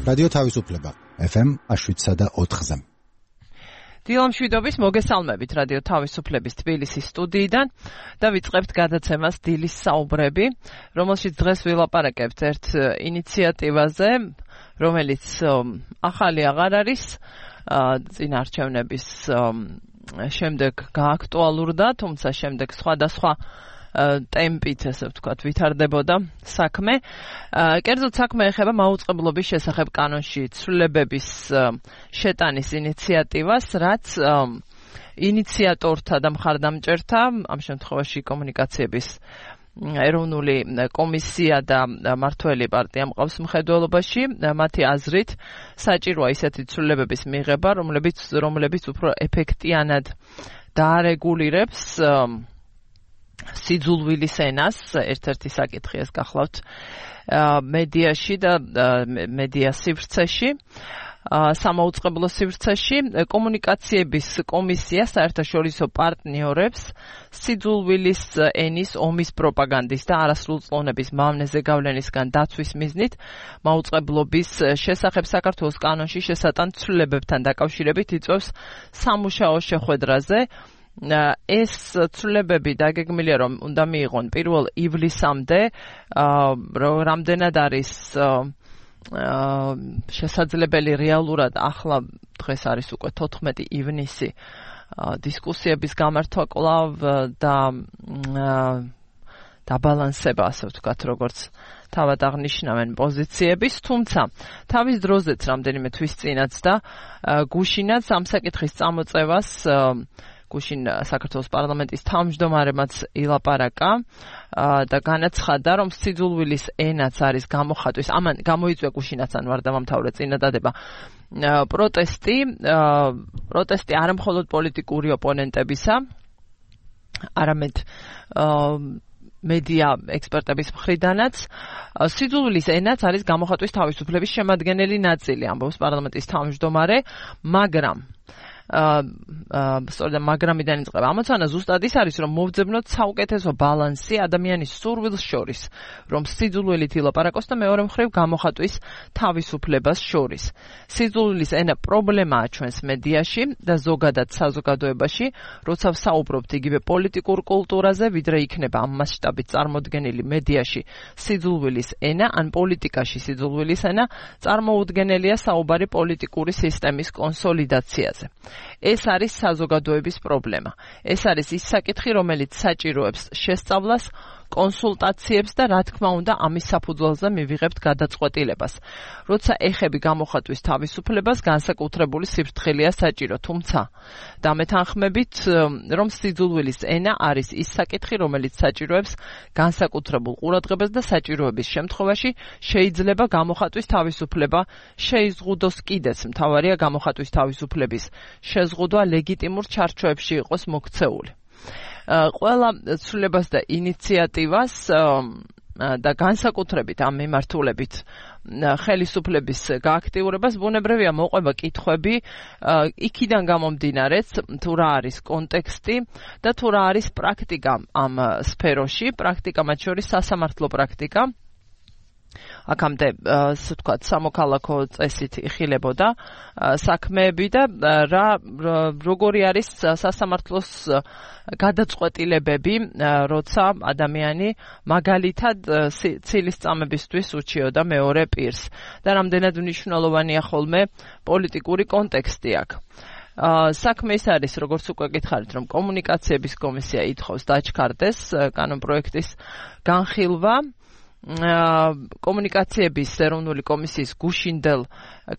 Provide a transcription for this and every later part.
რადიო თავისუფლება FM 107.4-ზე. დილამშვიდობის მოგესალმებით რადიო თავისუფლების თბილისის სტუდიიდან და ვიწყებთ გადაცემას დილის საუბრები, რომელშიც დღეს ვილაპარაკებთ ერთ ინიციატივაზე, რომელიც ახალი აღარ არის, წინარჩევნების შემდეგ გააქტუალურდა, თუმცა შემდეგ სხვადასხვა ტემპით, ესე ვთქვათ, ვითარდებოდა საქმე. კერძოდ საქმე ეხება მაუწყებლობის შესახებ კანონში ცვლილებების შეტანის ინიციატივას, რაც ინიციატორთა და მხარდამჭერთა, ამ შემთხვევაში კომუნიკაციების ეროვნული კომისია და მმართველი პარტია მყავს მხედველობაში, მათი აზრით საჭიროა ისეთი ცვლილებების მიღება, რომლებიც უფრო ეფექტიანად დაარეგულირებს სიძულვილის ენას, ერთ-ერთი საკითხი ეს გახლავთ მედიაში და მედია სივრცეში, სამაუწყებლო სივრცეში. კომუნიკაციების კომისია საერთაშორისო პარტნიორებს სიძულვილის ენის ომის პროპაგანდის და არასრულწლოვნების მავნეზე გავლენისგან დაცვის მიზნით მაუწყებლობის შესახებ საქართველოს კანონში შესატან ცვლილებებთან დაკავშირებით იწვევს სამუშაო შეხვედრაზე. ეს ცვლილებები დაგეგმილია, რომ უნდა მიიღონ 1 ივლისამდე, რამდენად არის შესაძლებელი რეალურად, ახლა დღეს არის უკვე 14 ივნისი, დისკუსიების გამართვა კვლავ და დაბალანსება, ასე ვთქვათ, როგორც თავად აღნიშნავენ პოზიციების, თუმცა თავის დროზეც რამდენიმე თვის წინაც და გუშინაც ამ საკითხის წამოწევას გუშინ საქართველოს პარლამენტის თავმჯდომარემაც ილაპარაკა და განაცხადა, რომ სიძულვილის ენაც არის გამოხატვის, ამან გამოიწვია გუშინაც ან ვარდამამთავრე წინადადება პროტესტი არა მხოლოდ პოლიტიკური ოპონენტებისა, არამედ მედია ექსპერტების მხრიდანაც. სიძულვილის ენაც არის გამოხატვის თავისუფლების შემადგენელი ნაწილი, ამბობს პარლამენტის თავმჯდომარე, მაგრამ იწყება ამოცანა ზუსტად ის არის, რომ მოვძებნოთ საუკეთესო ბალანსი ადამიანის სურვილს შორის, რომ სიძულვილით ილაპარაკოს და მეორე მხრივ გამოხატვის თავისუფლებას შორის. სიძულვილის ენა პრობლემაა ჩვენს მედიაში და ზოგადად საზოგადოებაში, როცა ვსაუბრობთ იგივე პოლიტიკურ კულტურაზე, ვიდრე იქნება ამ მასშტაბით წარმოდგენილი მედიაში სიძულვილის ენა, ან პოლიტიკაში სიძულვილის ენა, წარმოუდგენელია საუბარი პოლიტიკური სისტემის კონსოლიდაციაზე. ეს არის საზოგადოების პრობლემა. ეს არის ის საკითხი, რომელიც საჭიროებს შესწავლას, კონსულტაციებს და რა თქმა უნდა ამის საფუძველზე მივიღებთ გადაწყვეტილებას. როცა ეხები გამოხატვის თავისუფლებას, განსაკუთრებული სიფრთხილეა საჭირო, თუმცა დამეთანხმებით, რომ სიძულვილის ენა არის ის საკითხი, რომელიც საჭიროებს განსაკუთრებულ ყურადღებას და საჭიროების შემთხვევაში შეიძლება გამოხატვის თავისუფლება შეიზღუდოს კიდეც. მთავარია გამოხატვის თავისუფლების შეზღუდვა ლეგიტიმურ ჩარჩოებში იყოს მოქცეული. ყველა ცვლილებას და ინიციატივას და განსაკუთრებით ამ მიმართულებით ხელისუფლების გააქტიურებას ბუნებრივია მოყვება კითხვები იქიდან გამომდინარეც, თუ რა არის კონტექსტი და თუ რა არის პრაქტიკა ამ სფეროში, პრაქტიკა მათ შორის სასამართლო პრაქტიკა. აქამდე, ასე ვთქვათ, სამოქალაქო წესით იხილებოდა საქმეები და როგორი არის სასამართლოს გადაწყვეტილებები, როცა ადამიანი მაგალითად ცილის წამებისთვის უჩიოდა მეორე პირს და რამდენად მნიშვნელოვანია ხოლმე პოლიტიკური კონტექსტი აქ. საქმე ის არის, როგორც უკვე გითხარით, რომ კომუნიკაციების კომისია ითხოვს დაჩქარდეს კანონპროექტის განხილვა. კომუნიკაციების ეროვნული კომისიის გუშინდელ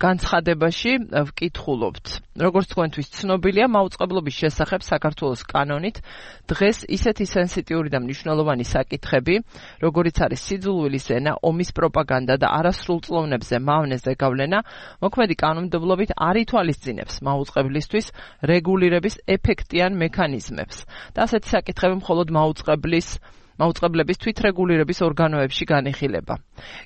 განცხადებაში ვკითხულობთ. როგორც თქვენთვის ცნობილია, მაუწყებლობის შესახებ საქართველოს კანონით დღეს ისეთი სენსიტიური და მნიშვნელოვანი საკითხები, როგორიც არის სიძულვილის ენა, ომის პროპაგანდა და არასრულწლოვნებზე მავნეზე გავლენა, მოქმედი კანონმდებლობით არ ითვალისწინებს მაუწყებლისთვის რეგულირების ეფექტიან მექანიზმებს. და ასეთი საკითხები მხოლოდ მაუწყებლის მაუწყებლების თვითრეგულირების ორგანოებში განიხილება.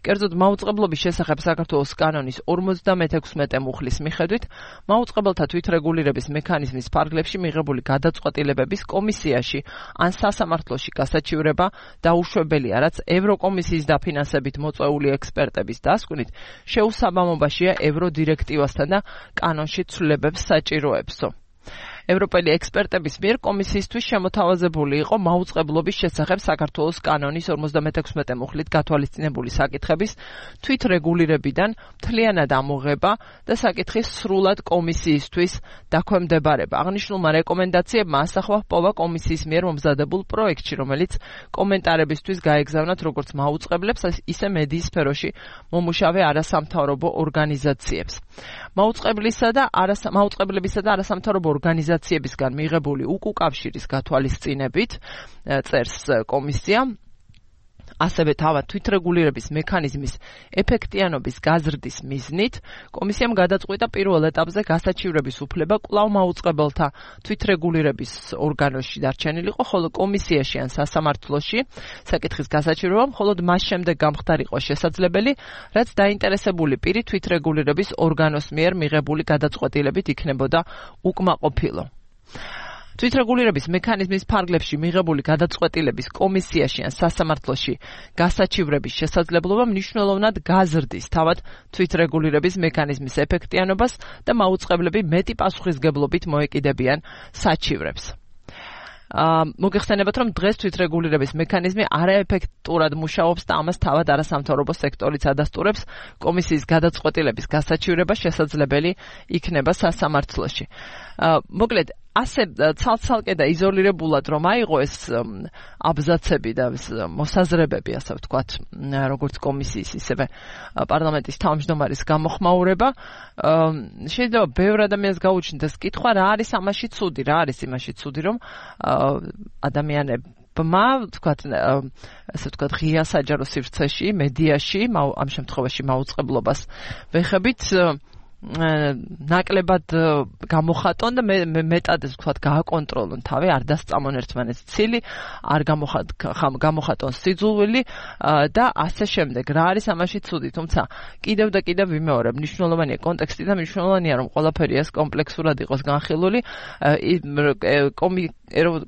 კერძოდ, მაუწყებლობის შესახებ საქართველოს კანონის 56 მუხლის მიხედვით, მაუწყებელთა თვითრეგულირების მექანიზმის ფარგლებში მიღებული გადაწყვეტილებების კომისიაში ან სასამართლოში გასაჩივრება დაუშვებელია, რაც ევროკომისიის დაფინანსებით მოწვეული ექსპერტების დასკვნით შეუსაბამობაშია ევროდირექტივასთან და კანონში ცვლილებებს საჭიროებსო. ევროპელი ექსპერტების მიერ კომისიისთვის შემოთავაზებული იყო მაუწყებლობის შესახებ საქართველოს კანონის 56 მუხლით გათვალისწინებული საკითხების თვითრეგულირებიდან მთლიანად ამოღება და საკითხის სრულად კომისიისთვის დაქვემდებარება. აღნიშნულმა რეკომენდაციებმა ასახვა ჰპოვა კომისიის მიერ მომზადებულ პროექტში, რომელიც კომენტარებისთვის გაეგზავნათ როგორც მაუწყებლებს, ისე მედიის სფეროში მომუშავე არასამთავრობო ორგანიზაციებს. მაუწყებლებისა და არასამთავრობო ორგანიზაციებისგან მიღებული უკავშირის გათვალისწინებით წერს კომისია, ასევე თავად თვითრეგულირების მექანიზმის ეფექტიანობის გაზრდის მიზნით კომისიამ გადაწყვიტა პირველ ეტაპზე გასაჩივრების უფლება კვლავ მაუწყებელთა თვითრეგულირების ორგანოში დარჩენილიყო, ხოლო კომისიაში ან სასამართლოში საკითხის გასაჩივრება მხოლოდ მას შემდეგ გამხდარიყო შესაძლებელი, რაც დაინტერესებული პირი თვითრეგულირების ორგანოს მიერ მიღებული გადაწყვეტილებით იქნებოდა უკმაყოფილო. თვითრეგულირების მექანიზმის ფარგლებში მიღებული გადაწყვეტილების კომისიაში ან სასამართლოში გასაჩივრების შესაძლებლობა მნიშვნელოვნად გაზრდის თავად თვითრეგულირების მექანიზმის ეფექტიანობას და მაუწყებლები მეტი პასუხისგებლობით მოეკიდებიან საჩივრებს. მოგეხსენებათ, რომ დღეს თვითრეგულირების მექანიზმი არაეფექტურად მუშაობს და ამას თავად არასამთავრობო სექტორიც ადასტურებს, კომისიის გადაწყვეტილების გასაჩივრება შესაძლებელი იქნება სასამართლოში. მოკლედ, ასე ცალ-ცალკე და იზოლირებულად რომ აიღო ეს აბზაცები და მოსაზრებები, ასე ვთქვათ, როგორც კომისიის, ისევე პარლამენტის თავმჯდომარის გამოხმაურება, შეიძლება ბევრ ადამიანს გაუჩნდეს კითხვა, რა არის ამაში ცუდი, რა არის იმაში ცუდი, რომ ადამიანებმა, ასე ვთქვათ, ღია საჯარო სივრცეში, მედიაში, ამ შემთხვევაში მაუწყებლობას ვეხებით, ნაკლებად გამოხატონ და მეტად ეს ვთქვათ გააკონტროლონ თავი, არ დასწამონ ერთმანეთს ცილი, არ გამოხატონ სიძულვილი და ასე შემდეგ. რა არის ამაში ცუდი? თუმცა კიდევ და კიდევ ვიმეორებ, მნიშვნელოვანია კონტექსტი და მნიშვნელოვანია რომ ყველაფერი ეს კომპლექსურად იყოს განხილული.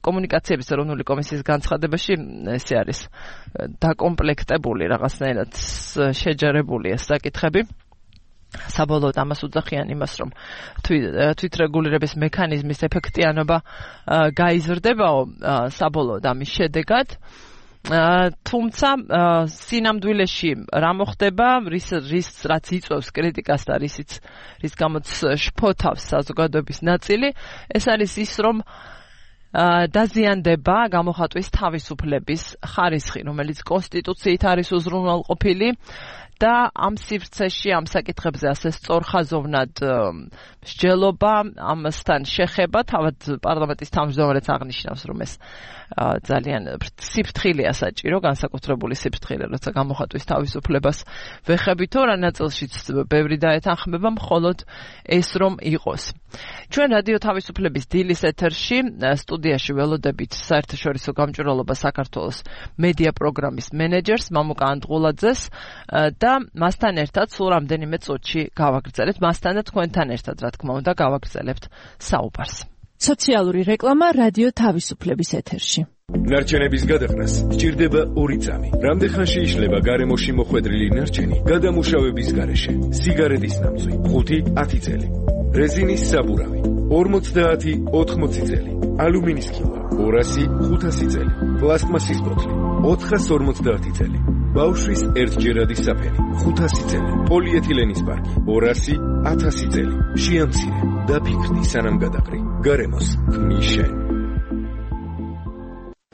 კომუნიკაციების ეროვნული კომისიის განცხადებაში ესე არის დაკომპლექტებული, რაღაცნაირად შეჯერებული ეს საკითხები. საბოლოოდ ამას უძახიან იმას, რომ თვითრეგულირების მექანიზმის ეფექტიანობა გაიზრდებაო საბოლოოდ ამის შედეგად. თუმცა სინამდვილეში რა მოხდება, რაც იწვევს კრიტიკას და რის გამოც შფოთავს საზოგადოების ნაწილი, ეს არის ის, რომ დაზიანდება გამოხატვის თავისუფლების ხარისხი, რომელიც კონსტიტუციით არის უზრუნველყოფილი და ამ სივრცეში, ამ საკითხებზე ასე სწორხაზოვნად მსჯელობა, ამასთან შეხება, თავად პარლამენტის თავმჯდომარეც აღნიშნავს, რომ ეს ძალიან სიფრთხილეა საჭირო, განსაკუთრებული სიფრთხილე, როცა გამოხატვის თავისუფლებას ვეხებითო, რა ნაწილშიც ბევრი დაეთანხმება, მხოლოდ ეს რომ იყოს. ჩვენ რადიო თავისუფლების დილის ეთერში სტუდიაში ველოდებით საერთაშორისო გამჭვირვალობა საქართველოს მედია პროგრამის მენეჯერს მამუკა ანდღულაძეს და მასთან ერთად სულ რამდენიმე წუთში გავაგრძელებთ, მასთან და თქვენთან ერთად, რა თქმა უნდა, გავაგრძელებთ საუბარს. სოციალური რეკლამა რადიო თავისუფლების ეთერში. ნარჩენების გადაყრას სჭირდება 2 წამი. რამდენხანში იშლება გარემოში მოხვედრილი ნარჩენი გადამუშავების გარეშე? სიგარეტის ნამწვი 5-10 წელი. რეზინის საბურავი 50-80 წელი. ალუმინის ქილა 200-500 წელი. პლასტმასის ბოთლი 450 წელი. ბავშვის ერთჯერადი საფენი 500 წელი. პოლიეთილენის პარკი 200-1000 წელი. შეამცირე და ფიქრდი სანამ გადაყრი. გარემოს ქმიშენ.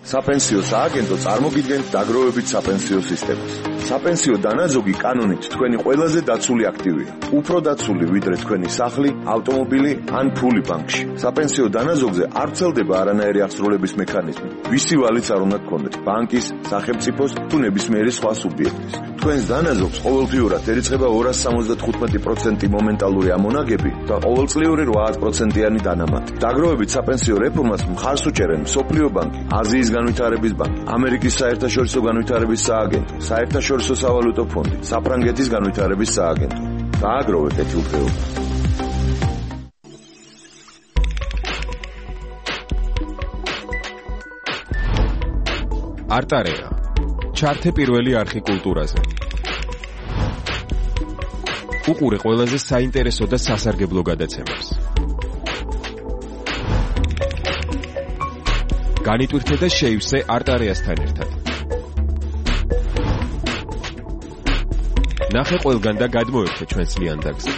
საპენსიო სააგენტო წარმოგიდგენთ დაგროვებით საპენსიო სისტემას. საპენსიო დანაზოგი კანონით თქვენი ყველაზე დაცული აქტივია. უფრო დაცული ვიდრე თქვენი სახლი, ავტომობილი ან ფული ბანკში. საპენსიო დანაზოგზე არ ვრცელდება არანაირი აღსრულების მექანიზმი. ვისი ვალიც არ უნდა გქონდეთ, ბანკის, სახელმწიფოს თუ ნებისმიერი სხვა სუბიექტის. თქვენს დანაზოგს ყოველდღიურად ერიცხება 275% მომენტალური ამონაგები და ყოველწლიური 8%-იანი დანამატი. დაგროვებით საპენსიო რეფორმას მხარს უჭერენ მსოფლიო ბანკი, აზიის განვითარების ბანკი, ამერიკის საერთაშორისო განვითარების სააგენტო, საერთაშორისო სავალუტო ფონდი, საფრანგეთის განვითარების სააგენტო. დააგროვეთ ეთილდღეობა. არტარეა. ჩართე პირველი არხი კულტურაზე. უყურე ყველაზე საინტერესო და სასარგებლო გადაცემებს. განიტვირთე და შეივსე არტარეასთან ერთად. ნახე ყველგან და გადმოერთე ჩვენს ლიანდაგზე.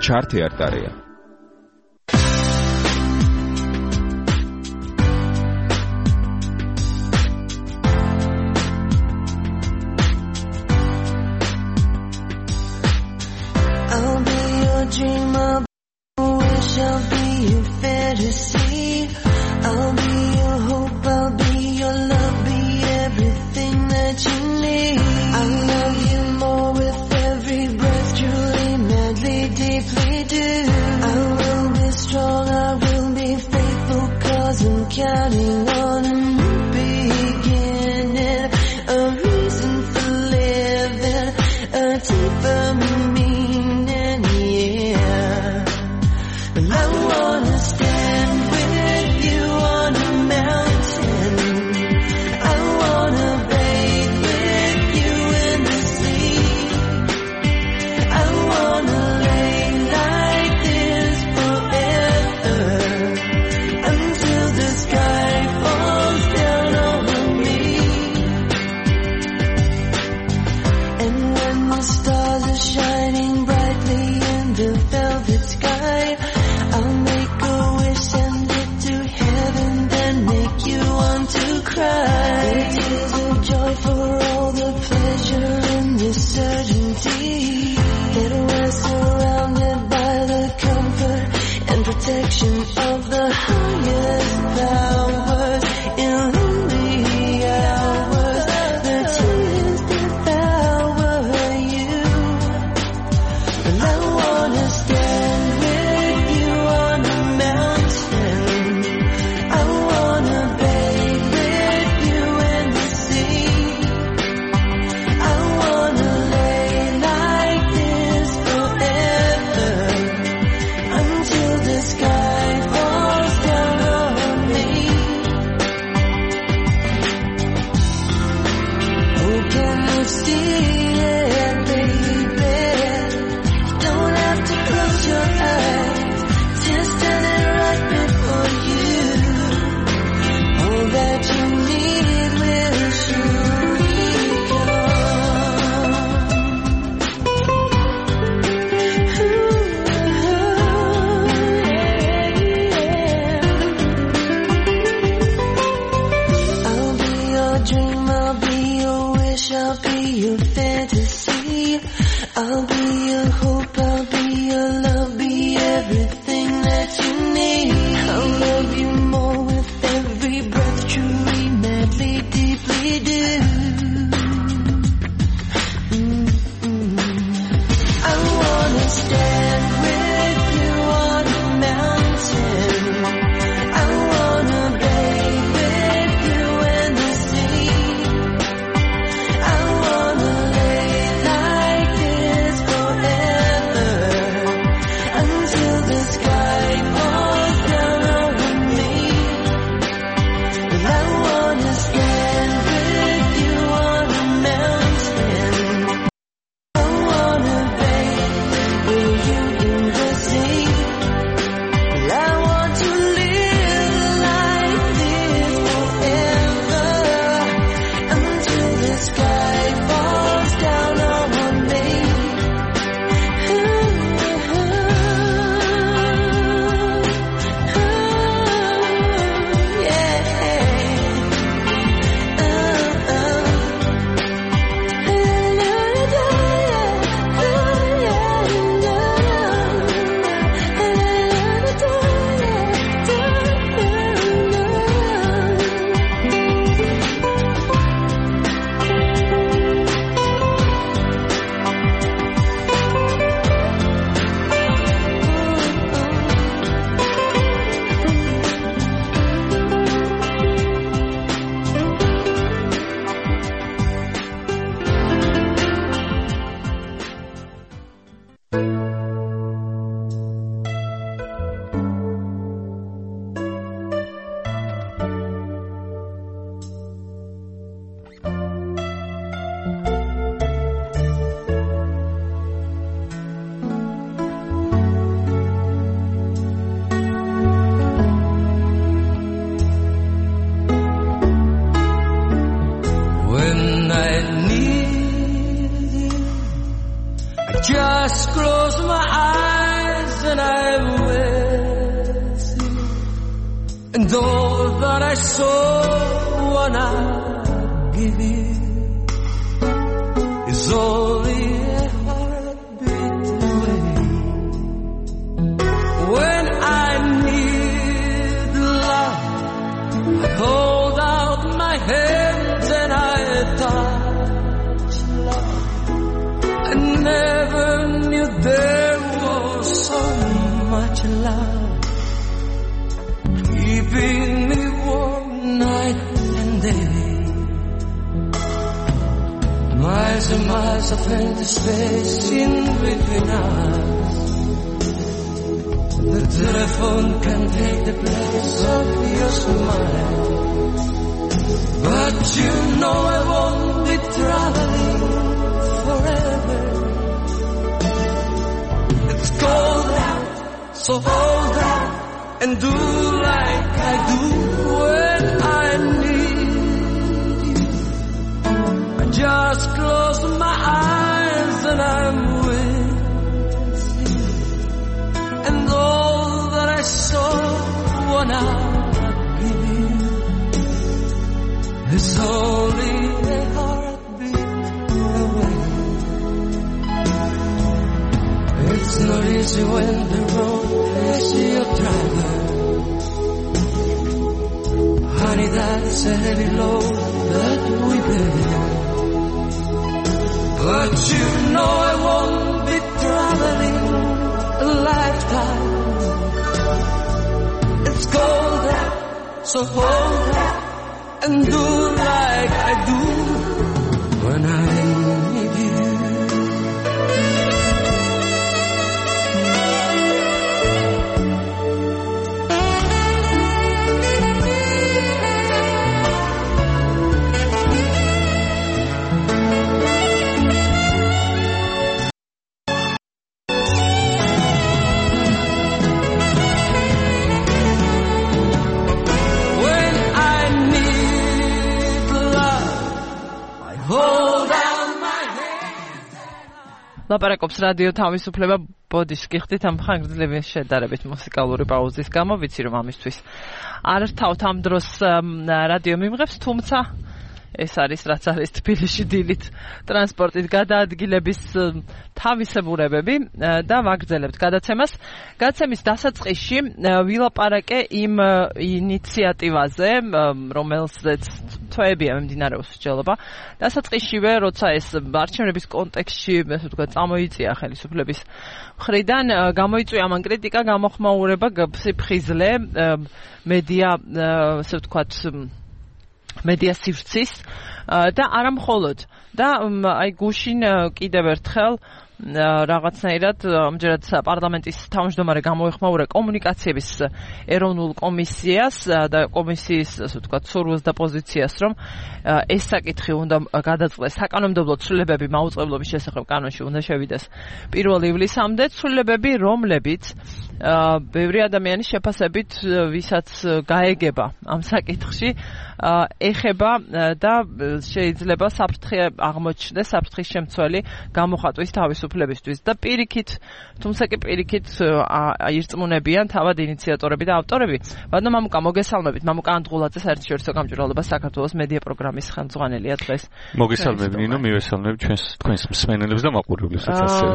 ჩართე არტარეა. I'll be your dreamer, wish I'll be your fantasy. I'll be your hope, I'll be your love, be everything that you need. I love you more with every breath, truly, madly, deeply do. I will be strong, I will be faithful, 'cause I'm counting on a new beginning, a reason for living, a deeper meaning, yeah. And I wanna stand with you on a mountain. I wanna bathe with you in the sea. I wanna lay like this forever until the sky falls. And all that I so wanna give you is only a heartbeat away. When I need love, I hold out my hands and I touch love. I never knew there was so much love keeping me warm night and day. Miles and miles of empty space in between us. The telephone can take the place of your smile, but you know I won't be traveling forever. It's cold out, so hold out and do like I do when I need you. I just close my eyes and I'm with you. And all that I so wanna give you is only a heartbeat away. It's not easy when the road is your driver. Honey, that's a heavy load that we bear. But you know I won't be traveling a lifetime. It's cold out, so hold out and do like I do when I need you. ლაპარაკობს რადიო თავისუფლება ბოდიშ გიხდით ამ ხანგრძლივი შედარებით მუსიკალური პაუზის გამო ვიცი რომ ამისთვის არ რთავთ ამ დროს რადიო მიმღებს თუმცა ეს არის რაც არის თბილისში დილით ტრანსპორტის გადაადგილების თავისებურებები და ვაგრძელებთ გადაცემას. გადაცემის დასაწყისში ვილაპარაკე იმ ინიციატივაზე, რომელზეც თვეებია მიმდინარეობს მსჯელობა. დასაწყისშივე, როცა ეს არჩევნების კონტექსტში, ასე ვთქვათ, წამოიწია ხელისუფლების მხრიდან, გამოიწვია ამან კრიტიკა, გამოხმაურება, სიფხიზლე, მედია, ასე ვთქვათ, მედია სივრცის და არა მხოლოდ და აი გუშინ კიდევ ერთხელ რაღაცნაირად ამჯერად პარლამენტის თავმჯდომარე გამოეხმაურა კომუნიკაციების ეროვნულ კომისიას და კომისიის ასე ვთქვათ სურვილს და პოზიციას რომ ეს საკითხი უნდა გადაწყდეს საკანონმდებლო ცვლილებები მაუწყებლობის შესახებ კანონში უნდა შევიდეს 1 ივლისამდე ცვლილებები რომლებიც ბევრი ადამიანის შეფასებით ვისაც გაეგება ამ საკითხში ეხება და შეიძლება საფრთხე აღმოჩნდეს საფრთხის შემცველი გამოხატვის თავისუფლებისთვის და პირიქით თუმცა კი პირიქით ირწმუნებიან თავად ინიციატორები და ავტორები. ბატონო მამუკა მოგესალმებით. მამუკა ანდღულაძე საერთაშორისო გამჭვირვალობა საქართველოს მედია პროგრამის ხელმძღვანელია დღეს. მოგესალმებით ნინო, მივესალმებით თქვენს მსმენელებს და მაყურებლებსაც ასევე.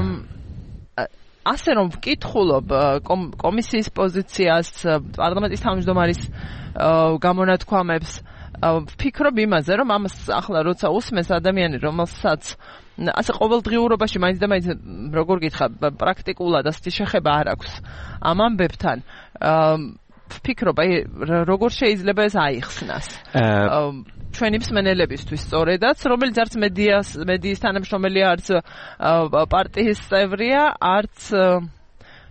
ასე რომ ვკითხულობ კომისიის პოზიციას, პარლამენტის თავმჯდომარის გამონათქვამებს, ვფიქრობ იმაზე, რომ ამას ახლა როცა უსმენს ადამიანი, რომელსაც ასე ყოველდღიურობაში მაინც და მაინც როგორ გითხრა, პრაქტიკულად ასეთი შეხება არ აქვს ამ ამბებთან. ვფიქრობ, აი როგორ შეიძლება ეს აიხსნას. ჩვენი მსმენელებისთვის სწორედაც, რომელიც არც მედიის თანამშრომელი, არც პარტიის წევრია, არც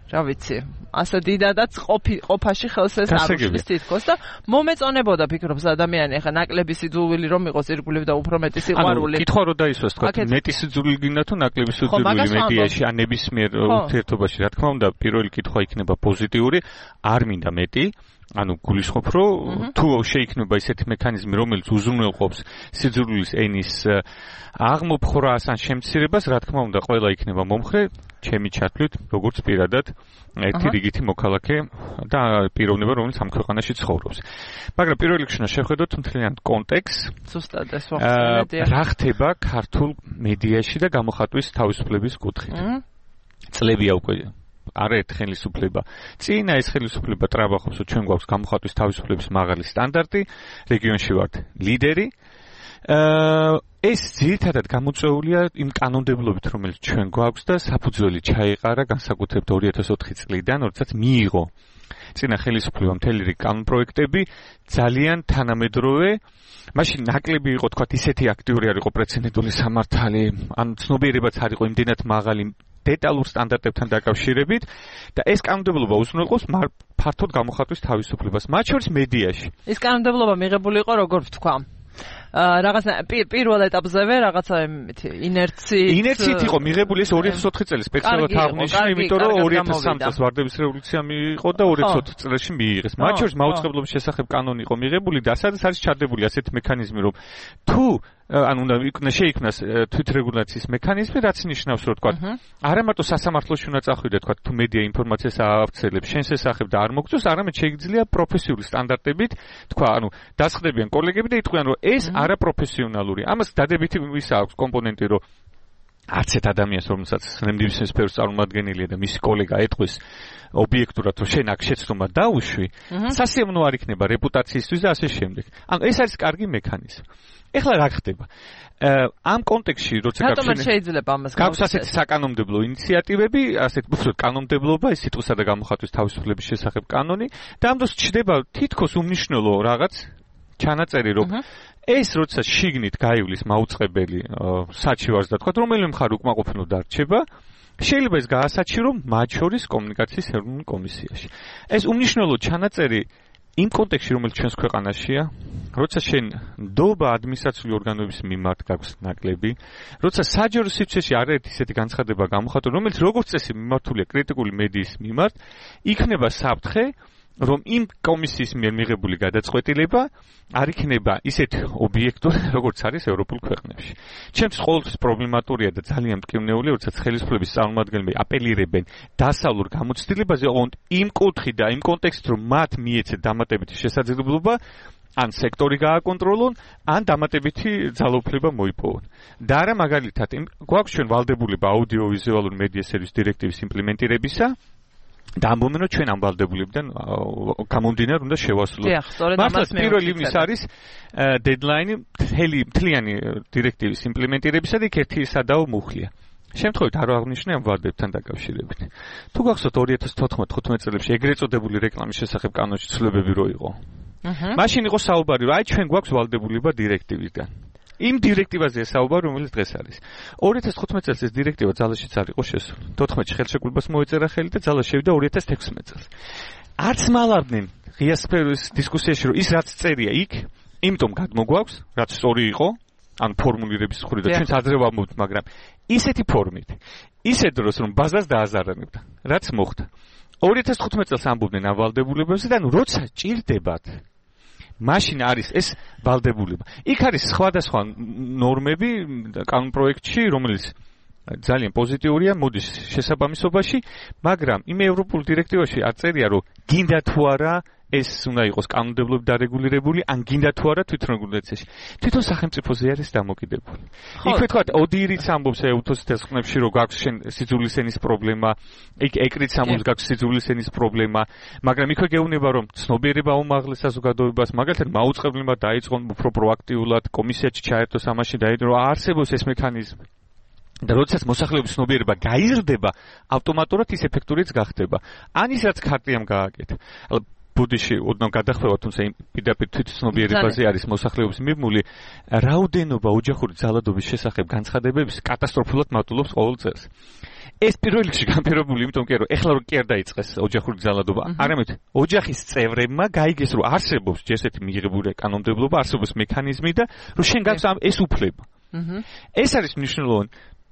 რა ვიცი, ასე დიდადაც ყოფაში ხელს ეს არ უშლის თითქოს და მომეწონებოდა ფიქრობს ადამიანი ახლა ნაკლები სიძულვილი რომ იყოს ირგვლივ და უფრო მეტი სიყვარული. ანუ კითხვა რო დაისვას თქვა, მეტი სიძულვილი გინდა თუ ნაკლები სიძულვილი მედიაში, ან ნებისმიერ ურთიერთობაში, რა თქმა უნდა, პირველი კითხვა იქნება პოზიტიური, არ მინდა მეტი. ანუ გულისხმობ, რომ თუ შეიქმნება ისეთი მექანიზმი, რომელიც უზრუნველყოფს სიძულვილის ენის აღმოფხვრას ან შემცირებას, რა თქმა უნდა, ყველა იქნება მომხრე. ჩემი ჩათვლით, როგორც პირადად ერთი რიგითი მოქალაქე და პიროვნება, რომელიც ამ ქვეყანაში ცხოვრობს. მაგრამ პირველ რიგში უნდა შევხედოთ მთლიან კონტექსტს. ზუსტად ეს ვახსენე. რა ხდება ქართულ მედიაში და გამოხატვის თავისუფლების კუთხით. წლებია უკვე არაერთ ხელისუფლება. წინა ეს ხელისუფლება ტრაბახობს, რომ ჩვენ გვაქვს გამოხატვის თავისუფლების მაღალი სტანდარტი, რეგიონში ვართ ლიდერი. ეს ძირითადად გამოწვეულია იმ კანონმდებლობით, რომელიც ჩვენ გვაქვს და საფუძველი ჩაეყარა განსაკუთრებით 2004 წლიდან, როდესაც მიიღო წინა ხელისუფლება მთელი რიგი კანონპროექტები ძალიან თანამედროვე. მაშინ ნაკლები იყო თქვა ისეთი აქტიური არ იყო პრეცედენტული სამართალი, ან ცნობიერებაც არ იყო იმდენად მაღალი დეტალურ სტანდარტებთან დაკავშირებით და ეს კანონმდებლობა უზრუნველყოფს ფართოდ გამოხატვის თავისუფლებას, მათ შორის მედიაში. ეს კანონმდებლობა მიღებული იყო როგორ ვთქვა? რაღაცა პირველ ეტაპზევე რაღაცა ინერციით იყო მიღებული ეს 2004 წელი სპეციალურად აღნიშნა, იმიტომ რომ 2003 წელს ვარდების რევოლუცია მიიღო და 2004 წელში მიიღეს. მათ შორის მაუწყებლობის შესახებ კანონი იყო მიღებული და სადაც არის ჩადებული ასეთი მექანიზმი, რომ თუ უნდა შეიქმნას თვითრეგულაციის მექანიზმი, რაც ნიშნავს, რომ თქვა, არა მარტო სასამართლოში უნდა წახვიდე, თქვა, თუ მედია ინფორმაციას აავრცელებს შენს შესახებ და არ მოგწევს, არამედ შეიძლება პროფესიული სტანდარტებით, თქვა, დასხდებიან კოლეგები და იტყვიან, რომ ეს არაპროფესიონალური. ამას დადებითი ისა აქვს კომპონენტი, რომ არც ერთ ადამიანს, რომელსაც ნებისმიერ სფეროს წარმომადგენელია და მისი კოლეგა ეტყვის ობიექტურად, რომ შენ აქ შეცდომა დაუშვი, სასიამოვნო არ იქნება რეპუტაციისთვის და ასე შემდეგ. ეს არის კარგი მექანიზმი. ეხლა რა ხდება? ამ კონტექსტში, როცა გაქვს ასეთი საკანონმდებლო ინიციატივები, ასეთ უბრალოდ კანონმდებლობა, ეს სიტყვისა და გამოხატვის თავისუფლების შესახებ კანონი და ამ დროს ჩდება თითქოს უმნიშვნელო რაღაც ჩანაწერი, რომ ეს როცა შიგნით გაივლის მაუწყებელი საჩივარს და თქვა, რომელიმე მხარე უკმაყოფილო დარჩება, შეიძლება ეს გაასაჩირო მათ შორის კომუნიკაციის ეროვნულ კომისიაში. ეს უმნიშვნელო ჩანაწერი იმ კონტექსტში, რომელიც ჩვენს ქვეყანაშია, როცა შენ ნდობა ადმინისტრაციული ორგანოების მიმართ გაქვს ნაკლები, როცა საჯარო სივრცეში არაერთი ისეთი განცხადება გამოხატო, რომელიც როგორც წესი მიმართულია კრიტიკული მედიის მიმართ, იქნება საფრთხე, რომ იმ კომისიის მიერ მიღებული გადაწყვეტილება არ იქნება ისეთ ობიექტური, როგორც არის ევროპულ ქვეყნებში. ჩემთვის ყოველთვის პრობლემატურია და ძალიან მტკივნეულია, როდესაც ხელისუფლების წარმომადგენლები აპელირებენ დასავლურ გამოცდილებაზე, ოღონდ იმ კუთხით და იმ კონტექსტით, რომ მათ მიეცეთ დამატებითი შესაძლებლობა ან სექტორი გააკონტროლონ, ან დამატებითი ძალაუფლება მოიპოვონ. და არა მაგალითად, გვაქვს ჩვენ ვალდებულება აუდიოვიზუალური მედია სერვის დირექტივის იმპლემენტირებისა, და ამბობენ, რომ ჩვენ ამ ვალდებულებიდან გამომდინარე უნდა შევასრულოთ. მართლაც 1 ივნისი არის დედლაინი მთლიანი დირექტივის იმპლემენტირებისა და იქ ერთი სადაო მუხლია. შემთხვევით არ აღნიშნე ამ ვალდებთან დაკავშირებით. თუ გახსოვთ 2014-15 წლებში ეგრეთ წოდებული რეკლამის შესახებ კანონში ცვლილებები რო იყო. მაშინ იყო საუბარი, რომ აი ჩვენ გვაქვს ვალდებულება დირექტივიდან. იმ დირექტივაზე საუბარი, რომელიც დღეს არის. 2015 წელს ეს დირექტივა ძალაშიც არ იყო შესული. 14-ში ხელშეკრულებას მოეწერა ხელი და ძალა შევიდა 2016 წელს. არც მალავდნენ ღია სფეროს დისკუსიაში, რომ ის რაც წერია იქ, იმიტომ გადმოგვაქვს, რაც სწორი იყო, ან ფორმულირების მხრიდან ჩვენც ადრე ვამბობთ, მაგრამ ისეთი ფორმით, ისე დროს რომ ბაზას დააზარანებდა, რაც მოხდა. 2015 წელს ამბობდნენ ამ ვალდებულებებზე და როცა ჭირდებათ მაშინ არის ეს ვალდებულება. იქ არის სხვადასხვა ნორმები კანონპროექტში, რომელიც ძალიან პოზიტიურია, მოდის შესაბამისობაში, მაგრამ იმ ევროპულ დირექტივაში აწერია, რომ გინდა თუ არა ეს უნდა იყოს კანონმდებლობით დარეგულირებული, ან გინდა თუ არა თვითრეგულაციაში. თვითონ სახელმწიფოზე არის დამოკიდებული. იქვე თქვა, ოდირიც ამბობს ეუთოს თესხმებში, რომ გაქვს შენ სიძულის ენის პრობლემა, იქ ეკრიც ამბობს გაქვს სიძულის ენის პრობლემა, მაგრამ იქვე გეუბნება, რომ ცნობიერება აუმაღლეს საზოგადოებას, მაგალითად მაუწყებლებმა დაიწყონ უფრო პროაქტიულად კომისიაში ჩაერთოს ამაში დაიდრო, არსებობს ეს მექანიზმი. და როდესაც მოსახლეობის ცნობიერება გაიზრდება, ავტომატურად ის ეფექტურიც გახდება. ან ის რაც ქარტიამ გააკეთა. ბუდიში ოდნავ გადახვევა, თუმცა იმ პირდაპირ თვითცნობიერებაზე არის მოსახლეობის მიმული, რაოდენობა ოჯახური ძალადობის შესახებ განცხადებების კატასტროფულად მატულობს ყოველ წელს. ეს პირველ რიგში განპირობებული, იმიტომ რომ ეხლა რო კი არ დაიწყეს ოჯახური ძალადობა, არამედ ოჯახის წევრებმა გაიგეს, რომ არსებობს ესეთი მიღებული კანონმდებლობა, არსებობს მექანიზმი და რომ შენ გაქვს ეს უფლება. ეს არის მნიშვნელოვანი.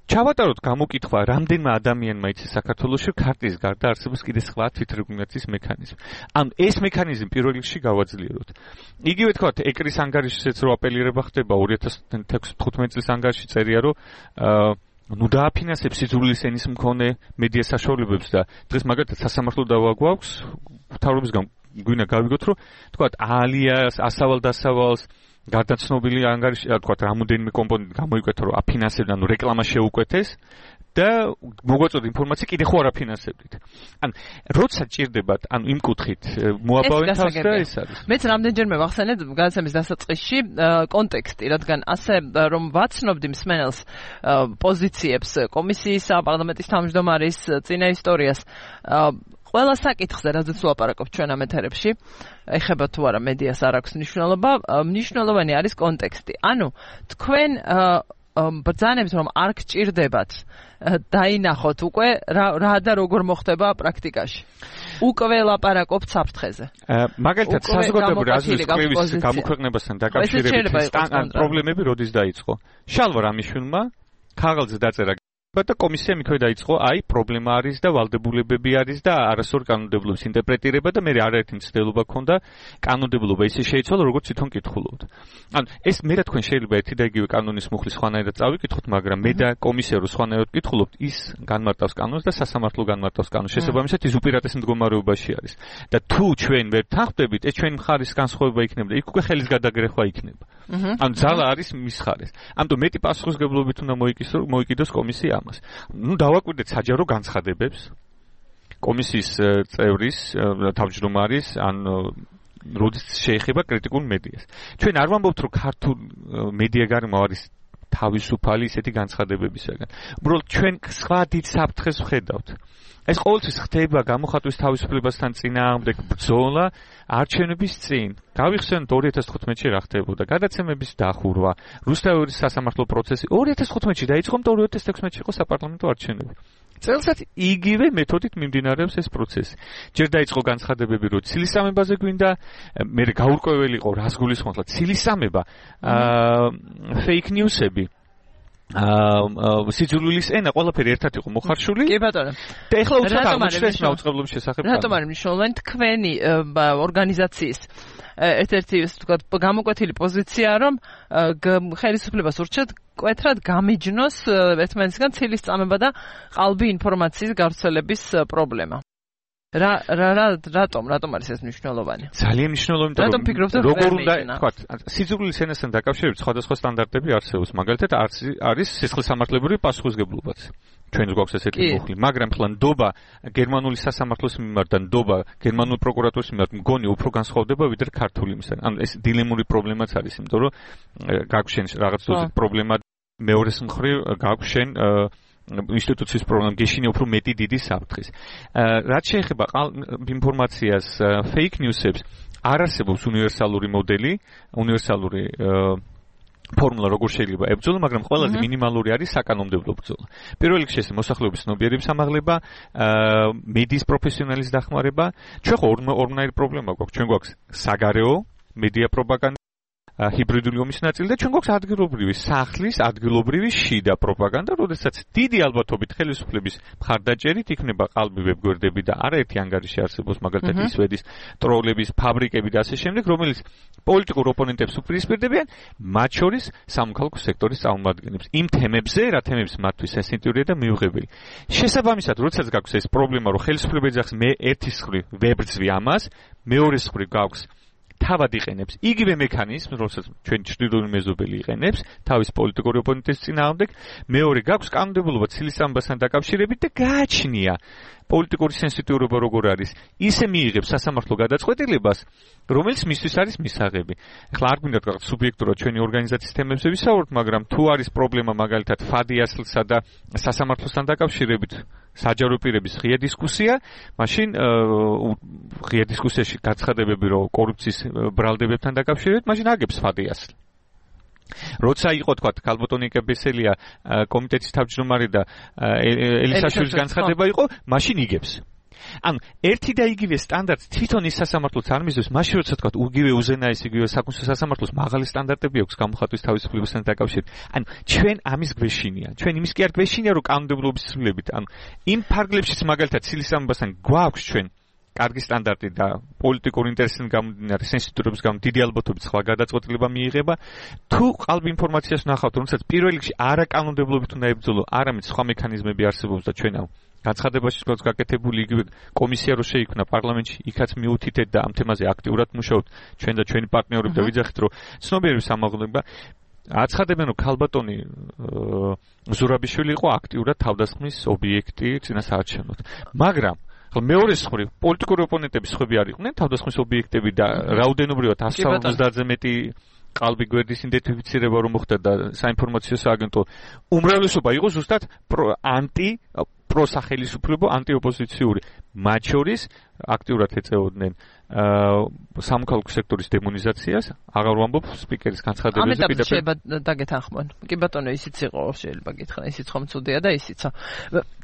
ჩავატაროთ გამოკითხვა, რამდენმა ადამიანმა იცის საქართველოში ქარტიის გარდა არსებობს კიდე სხვა თვითრეგულაციის მექანიზმი. ან ეს მექანიზმი პირველ რიგში გავაძლიეროთ. იგივე თქვა, ეკრის ანგარიშიც რო აპელირება ხდება 2015 წლის ანგარიში წერია, რომ ნუ დააფინანსებს სიძულვილის ენის მქონე მედია საშუალებებს და დღეს მაგალითად სასამართლო დავა გვაქვს მთავრობისგან გვინდა გავიგოთ რომ თქვათ ალიას ასავალ-დასავალს გარდაცნობილი ანგარიში თქვათ რამოდენიმე კომპონენტი გამოიკვეთა რომ აფინანსებდა ანუ რეკლამა შეუკვეთეს და მოგვაწოდა ინფორმაცია კიდე ხო არ აფინანსებდით. ან როცა ჭირდებათ, ანუ იმ კუთხით მოაბავენ თავს და ეს არის. მეც რამდენჯერმე ვახსენეთ გადაცემის დასაწყისში კონტექსტი, რადგან ასე რომ ვაცნობდი მსმენელს პოზიციებს კომისიისა, პარლამენტის თავმჯდომარის წინა ისტორიას ყველა საკითხზე, რაზეც ვლაპარაკობ ჩვენ ამ ეთერებში, ეხება თუ არა მედიას არ აქვს მნიშვნელობა, მნიშვნელოვანი არის კონტექსტი. ანუ თქვენ ბრძანებს რომ არ გჭირდებათ დაინახოთ უკვე რა და როგორ მოხდება პრაქტიკაში. უკვე ლაპარაკობთ საფრთხეზე. მაგალითად საზოგადოებრივი აზრის კვლევის გამოქვეყნებასთან დაკავშირებით პრობლემები როდის დაიწყო? შალვა რამიშვილმა ქაღალდზე დაწერა და კომისიამ იქვე დაიწყო, აი პრობლემა არის და ვალდებულებები არის და არასწორი კანონმდებლობის ინტერპრეტირება და მე არაერთი მცდელობა ქონდა კანონმდებლობა ისე შეიცვალა როგორც თვითონ კითხულობთ. ანუ ეს მე რა თქვენ შეიძლება ერთი და იგივე კანონის მუხლის სხვანაირად წავიკითხოთ, მაგრამ მე და კომისია რო სხვანაირად კითხულობთ, ის განმარტავს კანონს და სასამართლო განმარტავს კანონს. შესაბამისად ის უპირატეს მდგომარეობაში არის. და თუ ჩვენ ვერ თანხმდებით, ეს ჩვენი მხარის განსხვავება იქნება და იქ უკვე ხელის გადაგრეხვა იქნება. ანუ ძალა არის მის მხარეს. ამიტომ მეტი პასუხისმგებლობით უნდა მოიკიდოს კომისია ამას. ნუ დავაკვირდეთ საჯარო განცხადებებს კომისიის წევრის თავმჯდომარის ან როდის შეეხება კრიტიკულ მედიას. ჩვენ არ ვამბობთ რომ ქართულ მედია გარემო არის თავისუფალი ისეთი განცხადებებისაგან. უბრალოდ ჩვენ სხვა დიდ საფრთხეს ვხედავთ. ეს ყოველთვის ხდება გამოხატვის თავისუფლებასთან წინააღმდეგ ბრძოლა არჩევნების წინ. გავიხსენოთ 2015-ში რა ხდებოდა, გადაცემების დახურვა, რუსთავის სასამართლო პროცესი 2015-ში დაიწყო, 2016-ში იყო საპარლამენტო არჩევნები. წელსაც იგივე მეთოდით მიმდინარეობს ეს პროცესი. ჯერ დაიწყო განცხადებები, რომ ცილისამებაზე გვინდა, მე გაურკვეველი იყო რას გულისხმობთ, ცილისამება, fake news-ები. სიძულვილის ენა ყველაფერი ერთად იყო მოხარშული. კი ბატონო. და ეხლა უცბად აღმოჩნდა ეს მაუწყებლობის შესახებ. რატომ არის მნიშვნელოვანი თქვენი ორგანიზაციის ერთ-ერთი ვთქვათ გამოკვეთილი პოზიცია რომ ხელისუფლებას ურჩევთ კვეთრად გამიჯნოს ერთმანეთისგან ცილის წამება და ყალბი ინფორმაციის გავრცელების პრობლემა. რატომ არის ეს მნიშვნელოვანი? ძალიან მნიშვნელოვანი. რატომ ფიქრობთ რომ როგორ უნდა თქვა სიძულვილის ენასთან დაკავშირებით სხვადასხვა სტანდარტები არსებობს. მაგალითად არის სისხლისამართლებრივი პასუხისმგებლობაც. ჩვენ გვაქვს ესეთი მუხლი, მაგრამ ხლა ნდობა გერმანული სასამართლოს მიმართ და ნდობა გერმანული პროკურატურის მიმართ მგონი უფრო განსხვავდება ვიდრე ქართული იმისგან. ანუ ეს დილემური პრობლემაც არის, იმიტომ რომ გაგვშენ რაღაც დოზით პრობლემა მეორეს მხრივ გაგვშენ ინსტიტუციის პრობლემა გეშინე უფრო მეტი დიდი საფრთხის. რაც შეეხება ინფორმაციას fake news-ებს, არ არსებობს უნივერსალური მოდელი, უნივერსალური ფორმულა როგორ შეიძლება ებრძოლა, მაგრამ ყველაზე მინიმალური არის საკანონმდებლო ბრძოლა. პირველ რიგში ეს მოსახლეობის ცნობიერების ამაღლება, მედიის პროფესიონალის დახმარება. ჩვენ ხო ორმნაირი პრობლემა გვაქვს. ჩვენ გვაქვს საგარეო მედია პროპაგანდა, ჰიბრიდული ომის ნაწილი და ჩვენ გვაქვს ადგილობრივი სახლის, ადგილობრივი შიდა პროპაგანდა, როდესაც დიდი ალბათობით ხელისუფლების მხარდაჭერით იქნება ყალბი ვებგვერდები და არაერთი ანგარიში არსებობს, მაგალითად ისვედის ტროლების ფაბრიკები და ასე შემდეგ, რომელიც პოლიტიკურ ოპონენტებს უპირისპირდებიან, მათ შორის სამოქალაქო სექტორის წარმომადგენლებს. იმ თემებზე, რა თემებს მათთვის სენსიტიურია და მიუღებელი. შესაბამისად, როდესაც გაქვს ეს პრობლემა, რომ ხელისუფლება ეძახს მე ერთის მხრივ ვებრძვი ამას, მეორეს მხრივ გაქვს თავად იყენებს იგივე მექანიზმს, როდესაც ჩვენ ჩრდილოური მეზობელი იყენებს თავის პოლიტიკური ოპონენტის წინააღმდეგ, მეორე გაქვს კანონმდებლობა ცილისამებასთან დაკავშირებით და გააჩნია პოლიტიკური სენსიტიურობა როგორ არის, ისე მიიღებს სასამართლო გადაწყვეტილებას, რომელიც მისთვის არის მისაღები. ახლა არ გვინდა თქვა სუბიექტურად ჩვენი ორგანიზაციის თემებზე ვისაუბროთ, მაგრამ თუ არის პრობლემა მაგალითად ფადიასლსა და სასამართლოსთან დაკავშირებით საჯარო პირების ღია დისკუსია, მაშინ ღია დისკუსიაში გაცხადებები რომ კორუფციის ბრალდებებთან დაკავშირებით, მაშინ აგებს ფადიასლი. როცა იყო თქვა ქალბატონი კებესელია კომიტეტის თავმჯდომარე და ელისაშვილის განცხადება იყო, მაშინ იგებს. ანუ ერთი და იგივე სტანდარტს თვითონ ის სასამართლოც არ მისდევს, მაშინ როცა თქვა იგივე უზენაეს იგივე საკონსულტაციო სასამართლოს მაღალი სტანდარტები აქვს გამოხატვის თავისუფლებასთან დაკავშირებით. ანუ ჩვენ ამის გვეშინია. ჩვენ იმის კი არ გვეშინია, რომ კანონმდებლობის ცვლილებით, ანუ იმ ფარგლებშიც მაგალითად ცილისამებასთან გვაქვს ჩვენ კარგი სტანდარტი და პოლიტიკური ინტერესის გამომდინარე სენსიტივურობის გამო დიდი ალბათობით სხვა გადაწყვეტილება მიიღება. თუ ყალბი ინფორმაციას ნახავთ, რომელსაც პირველ რიგში არაკანონმდებლობით უნდა ებრძოლო, არამედ სხვა მექანიზმები არსებობს და ჩვენ განცხადებაში როგორც გაკეთებული იგივე კომისია რო შეიქმნა პარლამენტში, იქაც მიუთითეთ და ამ თემაზე აქტიურად მუშაობთ ჩვენ და ჩვენი პარტნიორები და ვიძახით რომ ცნობიერების სამაღლება აცხადებენ რომ ქალბატონი ზურაბიშვილი იყო აქტიურად თავდასხმის ობიექტი წინასაარჩევნოდ. მაგრამ მეორე მხრივ პოლიტიკური ოპონენტების ხვები არ იყვნენ თავდასხმის ობიექტები და რაოდენობრივად 150-ზე მეტი ყალბი გვერდის იდენტიფიცირება რომ მოხდა და საინფორმაციო სააგენტო უმრავლესობა იყო ზუსტად პროსახელისუფლებო ანტიოპოზიციური. მათ შორის აქტიურად ეწეოდნენ სამოქალაქო სექტორის დემონიზაციას, აღარ ვამბობ სპიკერის განცხადებებზე. ამიტომ შეიძლება დაგეთანხმონ. კი ბატონო, ისიც იყო, შეიძლება გითხრა, ისიც ხომ ცუდია და ისიცო.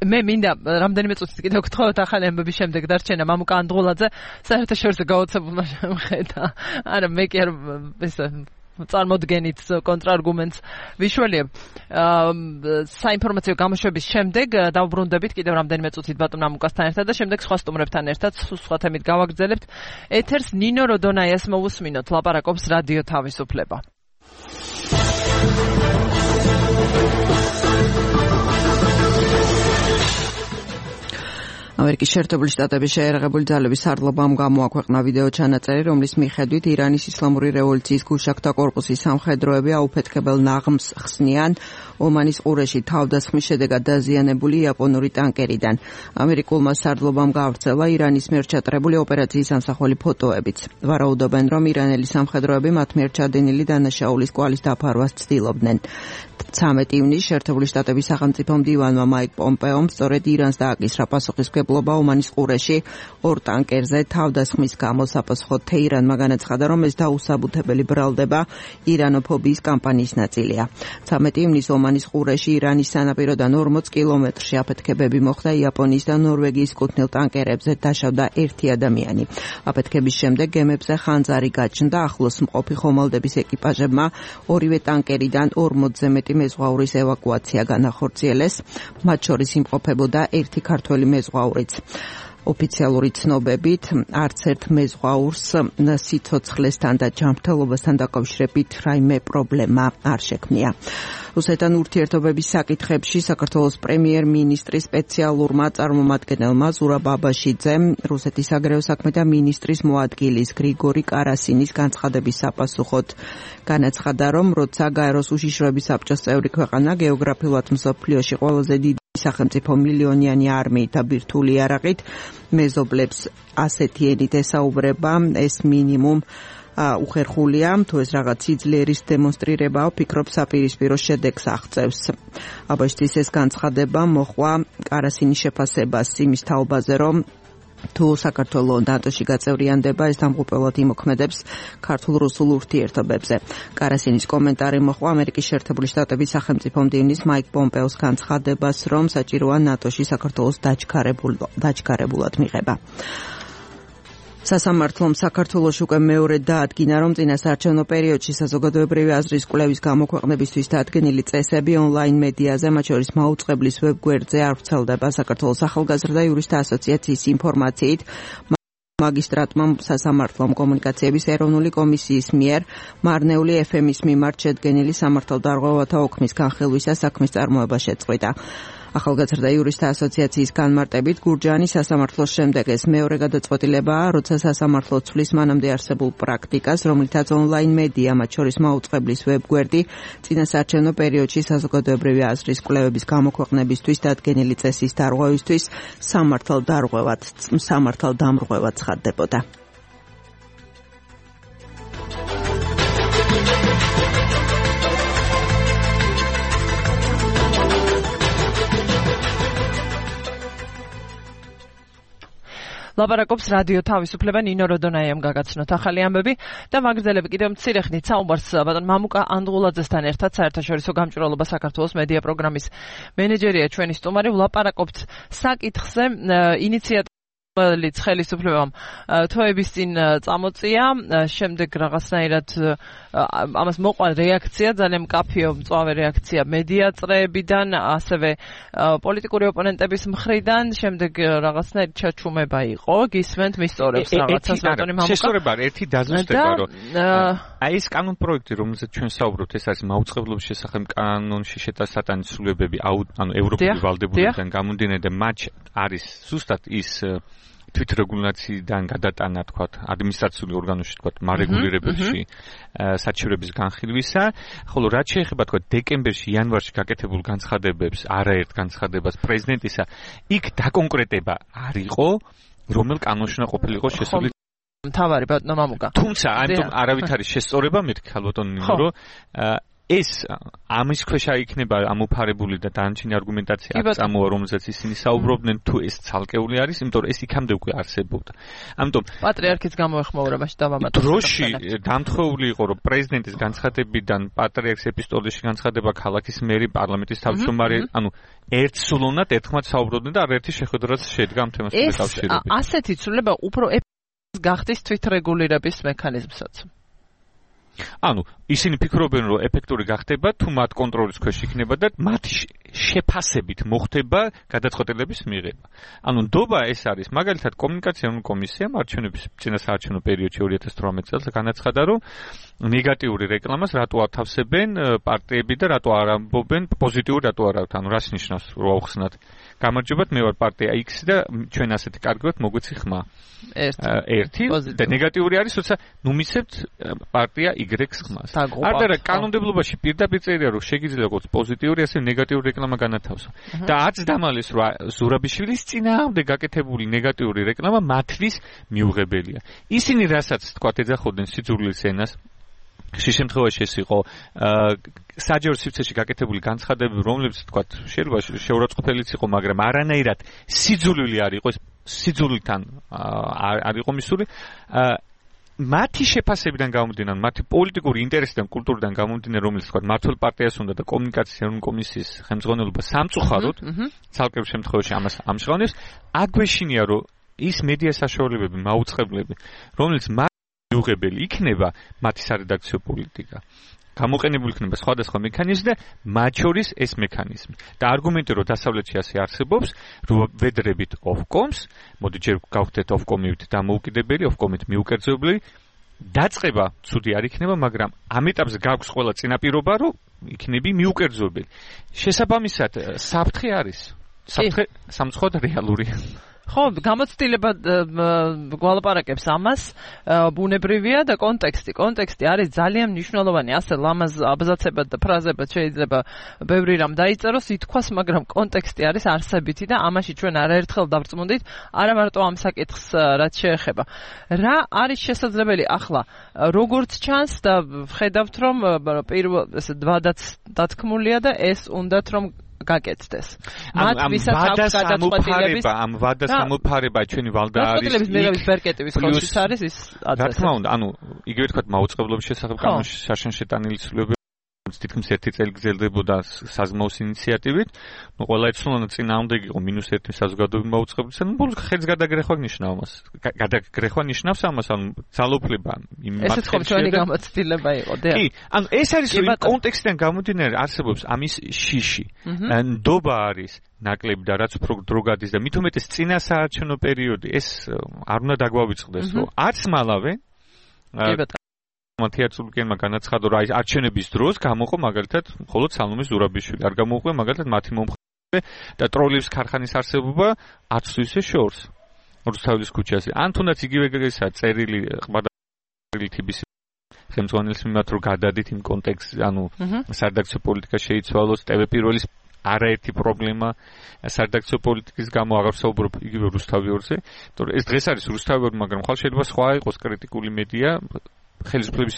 მე მინდა რამდენიმე წუთით კიდევ გთხოვოთ ახალი ამბების შემდეგ დარჩენა მამუკა ანდღულაძე საერთაშორისო გაოცებულმა შემხედა. არა, მე კი არ წარმოდგენით კონტრარგუმენტს ვიშველიებ. საინფორმაციო გამოშვების შემდეგ დავბრუნდებით კიდევ რამდენიმე წუთით ბატონ მამუკასთან ერთად და შემდეგ სხვა სტუმრებთან ერთად სხვა თემით გავაგრძელებთ. ეთერს ნინო როდონაიას მოусმინოთ, ლაპარაკობს რადიო თავისუფლება. ამერიკის შეერთებული შტატების შეერაღებული ძალების სარდლობამ გამოაქვეყნა ვიდეო ჩანაწერი, რომლის მიხედვით ირანის ისლამური რევოლუციის გულშაქრთა კორპუსის სამხედროები აუფეთქებელ ნაღმს ხსნიან ომანის ყურეში თავდასხმის შედეგად დაზიანებული იაპონური ტანკერიდან. ამერიკულმა სარდლობამ გაავრცელა ირანის მიერ ჩატარებული ოპერაციის ამსახველი ფოტოებიც. ვარაუდობენ, რომ ირანელი სამხედროები მათ მიერ ჩადენილი დანაშაულის კვალის დაფარვას ცდილობდნენ. 13 ივნისს შეერთებული შტატების სახელმწიფო მდივანმა მაიკ პომპეომ სწორედ ირანს დააკისრა პასუხისმგებლობა ომანის ყურეში ორ ტანკერზე თავდასხმის გამო. საპასუხოდ თეირანმა განაცხადა, რომ ეს დაუსაბუთებელი ბრალდება ირანოფობიის კამპანიის ნაწილია. 13 ივნისს ომანის ყურეში ირანის სანაპიროდან 40 კილომეტრში აფეთქებები მოხდა იაპონიის და ნორვეგიის კუთვნილ ტანკერებზე დაშავდა ერთი ადამიანი. აფეთქების შემდეგ გემებზე ხანძარი გაჩნდა. ახლოს მყოფი ხომალდების ეკიპაჟებმა ორივე ტანკერიდან 40-ზე მეტი მეზღვაურის ევაკუაცია განახორციელეს. მათ შორის იმყოფებოდა ერთი ქართველი მეზღვაურიც. ოფიციალური ცნობებით არც ერთ მეზღვაურს სიცოცხლესთან და ჯანმრთელობასთან დაკავშირებით რაიმე პრობლემა არ შექმნია. რუსეთთან ურთიერთობების საკითხებში საქართველოს პრემიერ-მინისტრის სპეციალურმა წარმომადგენელმა ზურაბ აბაშიძემ რუსეთის საგარეო საქმეთა მინისტრის მოადგილის გრიგორი კარასინის განცხადების საპასუხოდ განაცხადა, რომ როცა გაეროს უშიშროების საბჭოს წევრი ქვეყანა გეოგრაფიულად მსოფლიოში ყველაზე დიდი სახელმწიფო მილიონიანი არმიით და ბირთვული იარაღით მეზობლებს ასეთი ენით ესაუბრება, ეს მინიმუმ უხერხულია, თუ ეს რაღაც სიძლიერის დემონსტრირებაა, ვფიქრობ საპირისპირო შედეგს აღწევს. აბაშიძის ეს განცხადება მოჰყვა კარასინის შეფასებას იმის თაობაზე, რომ თუ საქართველო ნატოში გაწევრიანდება, ეს დამღუპველად იმოქმედებს ქართულ-რუსულ ურთიერთობებზე. კარასინის კომენტარი მოჰყვა ამერიკის შეერთებული შტატების სახელმწიფო მდივნის მაიკ პომპეოს განცხადებას, რომ საჭიროა ნატოში საქართველოს დაჩქარებულად მიღება. სასამართლომ საქართველოში უკვე მეორე დაადგინა, რომ წინასაარჩევნო პერიოდში საზოგადოებრივი აზრის კვლევის გამოქვეყნებისთვის დადგენილი წესები ონლაინ მედიაზე, მათ შორის მაუწყებლის ვებგვერდზე არ ვრცელდება. საქართველოს ახალგაზრდა იურისტთა ასოციაციის ინფორმაციით, მაგისტრატმა სასამართლომ კომუნიკაციების ეროვნული კომისიის მიერ მარნეული FM-ის მიმართ შედგენილი სამართალდარღვევათა ოქმის განხილვისას საქმის წარმოება შეწყვიტა. ახალგაზრდა იურისტთა ასოციაციის განმარტებით გურჯაანის სასამართლოს შემდეგ ეს მეორე გადაწყვეტილებაა, როცა სასამართლო ცვლის მანამდე არსებულ პრაქტიკას, რომლითაც ონლაინ მედია, მათ შორის მაუწყებლის ვებგვერდი, წინასაარჩევნო პერიოდში საზოგადოებრივი აზრის კვლევების გამოქვეყნებისთვის დადგენილი წესის დარღვევისთვის სამართალდამრღვევად ცხადდებოდა. ლაპარაკობს რადიო თავისუფლება, ნინო როდონაიამ გაგაცნოთ ახალი ამბები და ვაგრძელებ კიდევ მცირე ხნით საუბარს ბატონ მამუკა ანდღულაძესთან ერთად, საერთაშორისო გამჭვირვალობა საქართველოს მედია პროგრამის მენეჯერია ჩვენი სტუმარი. ვლაპარაკობთ საკითხზე, ინიციატორი ლიც ხელისუფლებამ თვეების წინ წამოწია, შემდეგ რაღაცნაირად ამას მოყვა რეაქცია, ძალიან მკაფიო მწვავე რეაქცია მედია წრეებიდან, ასევე პოლიტიკური ოპონენტების მხრიდან, შემდეგ რაღაცნაირად ჩაჩუმება იყო, გისმენთ მისწორებს რაღაცას ბატონი მამუკა. შესწორება ერთი დაზუსტება, რომ აი ეს კანონ პროექტი, რომელზეც ჩვენ საუბრობთ, ეს არის მაუწყებლობის შესახებ კანონში შეტანილი ცვლილებები, ანუ ევროპული ვალდებულებიდან გამომდინარე და მათ არის ზუსტად ის თვითრეგულაციიდან გადატანა, თქვათ, ადმინისტრაციული ორგანოში, თქვათ, მარეგულირებელში საჩივრების განხილვისა, ხოლო რაც შეეხება, თქვათ, დეკემბერში, იანვარში გაკეთებულ განცხადებებს, არაერთ განცხადებას პრეზიდენტისა, იქ დაკონკრეტება არ იყო, რომელ კანონში უნდა ყოფილიყო შესული მთავარი ბატონო მამუკა. თუმცა, ამიტომ არავით არის შესწორება, მეთქი ალბათონ იმიტომ, რომ ეს ამის ქვეშ იქნება ამოფარებული და დანარჩენი არგუმენტაცია აქ წამოვა, რომელზეც ისინი საუბრობდნენ, თუ ეს ცალკეული არის, იმიტომ რომ ეს იქამდე უკვე არსებობდა. ამიტომ პატრიარქის გამოეხმაურებაში დავამატოთ. დროში დამთხოვული იყო, რომ პრეზიდენტის განცხადებიდან პატრიარქის ეპისტოლეში განცხადება ქალაქის მერი, პარლამენტის თავმჯდომარე, ანუ ერთსულოვნად ერთხმად საუბრობდნენ და არაერთი შეხვედრაც შედგა ამ თემასთან დაკავშირებით. ასეთი ცვლილება უფრო გახდის თვითრეგულირების მექანიზმსაც. ანუ ისინი ფიქრობენ, რომ ეფექტური გახდება, თუ მათ კონტროლის ქვეშ იქნება და მათი შეფასებით მოხდება გადაწყვეტილების მიღება. ანუ ნდობა ეს არის, მაგალითად, კომუნიკაციული კომისიამ არჩევნების წინასაარჩევნო პერიოდში 2018 წელს განაცხადა, რომ ნეგატიური რეკლამას რატო ათავსებენ პარტიები და რატო არ ამბობენ პოზიტიური რატო არ აქვთ. ანუ რას ნიშნავს, რომ აუხსნათ გამარჯობათ, მე ვარ პარტია X და ჩვენ ასეთი კარგად მოგვეცი ხმა. ერთი და ნეგატიური არის, როცა ნუ მისცემთ პარტია Y-ს ხმას. არა, კანონმდებლობაში პირდაპირ წერია, რომ შეგიძლია როგორც პოზიტიური, ასე ნეგატიური რეკლამა განათავსო. და არც დამალეს, რომ ზურაბიშვილის წინააღმდეგ გაკეთებული ნეგატიური რეკლამა მათთვის მიუღებელია. ისინი რასაც თქვათ ეძახოდნენ სიძულვილის ენას, ხშირ შემთხვევაში ეს იყო საჯარო სივრცეში გაკეთებული განცხადებები, რომლებიც თქვათ შეიძლება შეურაცხყოფელიც იყო, მაგრამ არანაირად სიძულვილი არ იყო, ეს სიძულვილთან არ იყო მისული. მათი შეფასებიდან გამომდინარე, მათი პოლიტიკური ინტერესიდან, კულტურიდან გამომდინარე, რომელიც თქვათ მართლ პარტიას უნდა და კომუნიკაციის კომისიის ხელმძღვანელობა სამწუხაროდ, ცალკეულ შემთხვევაში ამას ამჟღავნებს, აგვეშინია, რომ ის მედია საშუალებები, მაუწყებლები, რომელიც მიუღებელი იქნება მათი სარედაქციო პოლიტიკა. გამოყენებული იქნება სხვადასხვა მექანიზმი და მათ შორის ეს მექანიზმი. და არგუმენტი, რომ დასავლეთში ასე არსებობს, რომ ვედრებით Ofcoms, მოდი ჯერ გავხდეთ Ofcom-ით დამოუკიდებელი, Ofcom-ით მიუკერძოებული, დაწყება ცუდი არ იქნება, მაგრამ ამ ეტაპზე გაქვს ყველა წინაპირობა, რომ იქნები მიუკერძოებელი. შესაბამისად, საფრთხე არის. საფრთხე სამწუხაროდ რეალურია. ხო, გამოცდილება გვალაპარაკებს ამას, ბუნებრივია და კონტექსტი. კონტექსტი არის ძალიან მნიშვნელოვანი. ასე ლამაზ აბზაცებად და ფრაზებად შეიძლება ბევრი რამ დაიწეროს, ითქვას, მაგრამ კონტექსტი არის არსებითი და ამაში ჩვენ არაერთხელ დავწმუნდით, არა მარტო ამ საკითხს რაც შეეხება. რა არის შესაძლებელი ახლა? როგორც ჩანს და ხედავთ, რომ პირველ ეს დვადაც დათქმულია და ეს უნდათ რომ გაკეთდეს. მათ ვისაც აქვს გადაწყვეტილების ამ ვადას ამოფარება ჩვენი ვალდა არის. გადაწყვეტილების მიღების ბერკეტების ხელშიც არის ის ადრესატი. რა თქმა უნდა, ანუ იგივე თქვა მაუწყებლობის შესახებ კანონში საშენ შეტანილი ცვლილებები თითქმის ერთი წელი გრძელდებოდა საზმაოს ინიციატივით. ნუ ყველა იცნობდა წინააღმდეგი იყო -1 საზოგადოებრივი მაუწყებლობისა. ნუ ბოლოს ხელს გადაგრეხვა ნიშნავს ამას. გადაგრეხვა ნიშნავს ამას, ანუ ძალოფლება იმ მასში. ესეც ხო ჩვენი გამოცდილება იყო, დიახ. კი, ანუ ეს არის რომ კონტექსტიდან გამომდინარე არსებობს ამის შიში. ნდობა არის ნაკლები და რაც უფრო დრო გადის და მით უმეტეს წინასაარჩევნო პერიოდი, ეს არ უნდა დაგვავიწყდეს, რომ არც მალავე მათიაცულკენმა განაცხადა, რომ არჩევნების დროს გამოყო მაგალითად მხოლოდ სალომე ზურაბიშვილი, არ გამოუყვე მაგალითად მათი მომხრე და ტროლების ქარხანის არსებობა არც ისე შორს რუსთავის ქუჩაზე. ან თუნდაც იგივე გეგესა წერილი ყბადალი თბის ხელმძღვანელის მიმართ რომ გადადით იმ კონტექსტში, ანუ სარედაქციო პოლიტიკა შეიცვალოს, TV პირველის არაერთი პრობლემა სარედაქციო პოლიტიკის გამო აღარ საუბრობ იგივე რუსთავიორზე, თორე ეს დღეს არის რუსთავიორი, მაგრამ ხალხ შეიძლება სხვა იყოს კრიტიკული მედია ხელისუფლების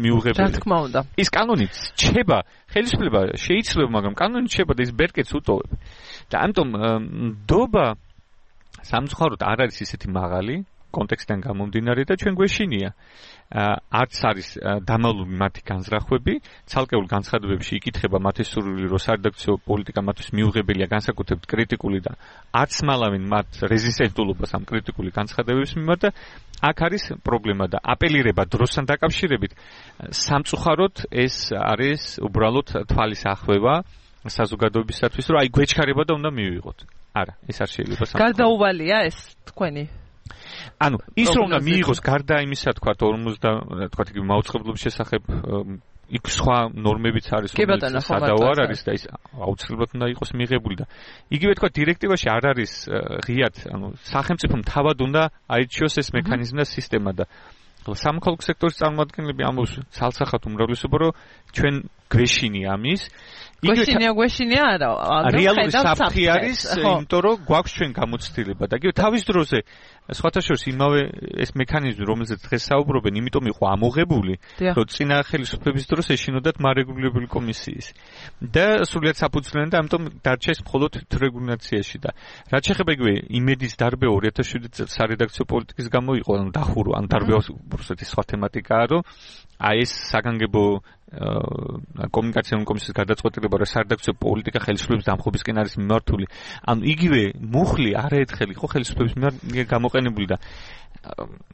მიუღებელი. რა თქმა უნდა. ის კანონით რჩება, ხელისუფლება შეიცვლება, მაგრამ კანონით რჩება და ის ბერკეტს უტოვებ. და ამიტომ ნდობა სამწუხაროდ არ არის ისეთი მაღალი კონტექსტიდან გამომდინარე და ჩვენ გვეშინია არც არის დამალული მათი განზრახვები, ცალკეულ განცხადებებში იკითხება მათი სურვილი, რომ სარედაქციო პოლიტიკა მათთვის მიუღებელია, განსაკუთრებით კრიტიკული და არც მალავენ მათ რეზისტენტულობას ამ კრიტიკული განცხადებების მიმართ და აქ არის პრობლემა და აპელირება დროსთან დაკავშირებით სამწუხაროდ ეს არის უბრალოდ თვალის ახვევა საზოგადოებისათვის, რომ აი გვეჩქარება და უნდა მივიღოთ. არა, ეს არ შეიძლება. გარდაუვალია ეს თქვენი ანუ ის რომ უნდა მიიღოს გარდა იმისა, თქვა 50 თქვა იგი მაუწყებლობის შესახებ იქ სხვა ნორმებიც არის, რომელიც სადაო არ არის და ის აუცილებლად უნდა იყოს მიღებული და იგივე თქვა დირექტივაში არ არის ღიად, ანუ სახელმწიფომ თავად უნდა აირჩიოს ეს მექანიზმი და სისტემა და სამოქალაქო სექტორის წარმომადგენლები ამბობს ცალსახად უმრავლესობა, რომ ჩვენ გვეშინია ამის. გვეშინია არა, რეალური საფრთხე არის, იმიტომ რომ გვაქვს ჩვენ გამოცდილება და იგივე თავის დროზე სხვათა შორის იმავე ეს მექანიზმი, რომელზეც დღეს საუბრობენ, იმიტომ იყო ამოღებული, რომ წინა ხელისუფლების დროს ეშინოდათ მარეგულირებული კომისიის და სრულიად საფუძვლიანი და ამიტომ დარჩა ეს მხოლოდ თვრეგულაციაში და რაც შეეხება იგივე იმედის დარბევა 2007 წელს სარედაქციო პოლიტიკის გამო იყო, ანუ დახურვა, ანუ დარბევა უბრალოდ სხვა თემატიკაა, რომ აი ეს საგანგებო კომუნიკაციული კომისიის გადაწყვეტილება, რომ სარედაქციო პოლიტიკა ხელისუფლების დამხობისკენ არის მიმართული. ანუ იგივე მუხლი არაერთხელ იყო ხელისუფლების მიმართ გამოყენებული და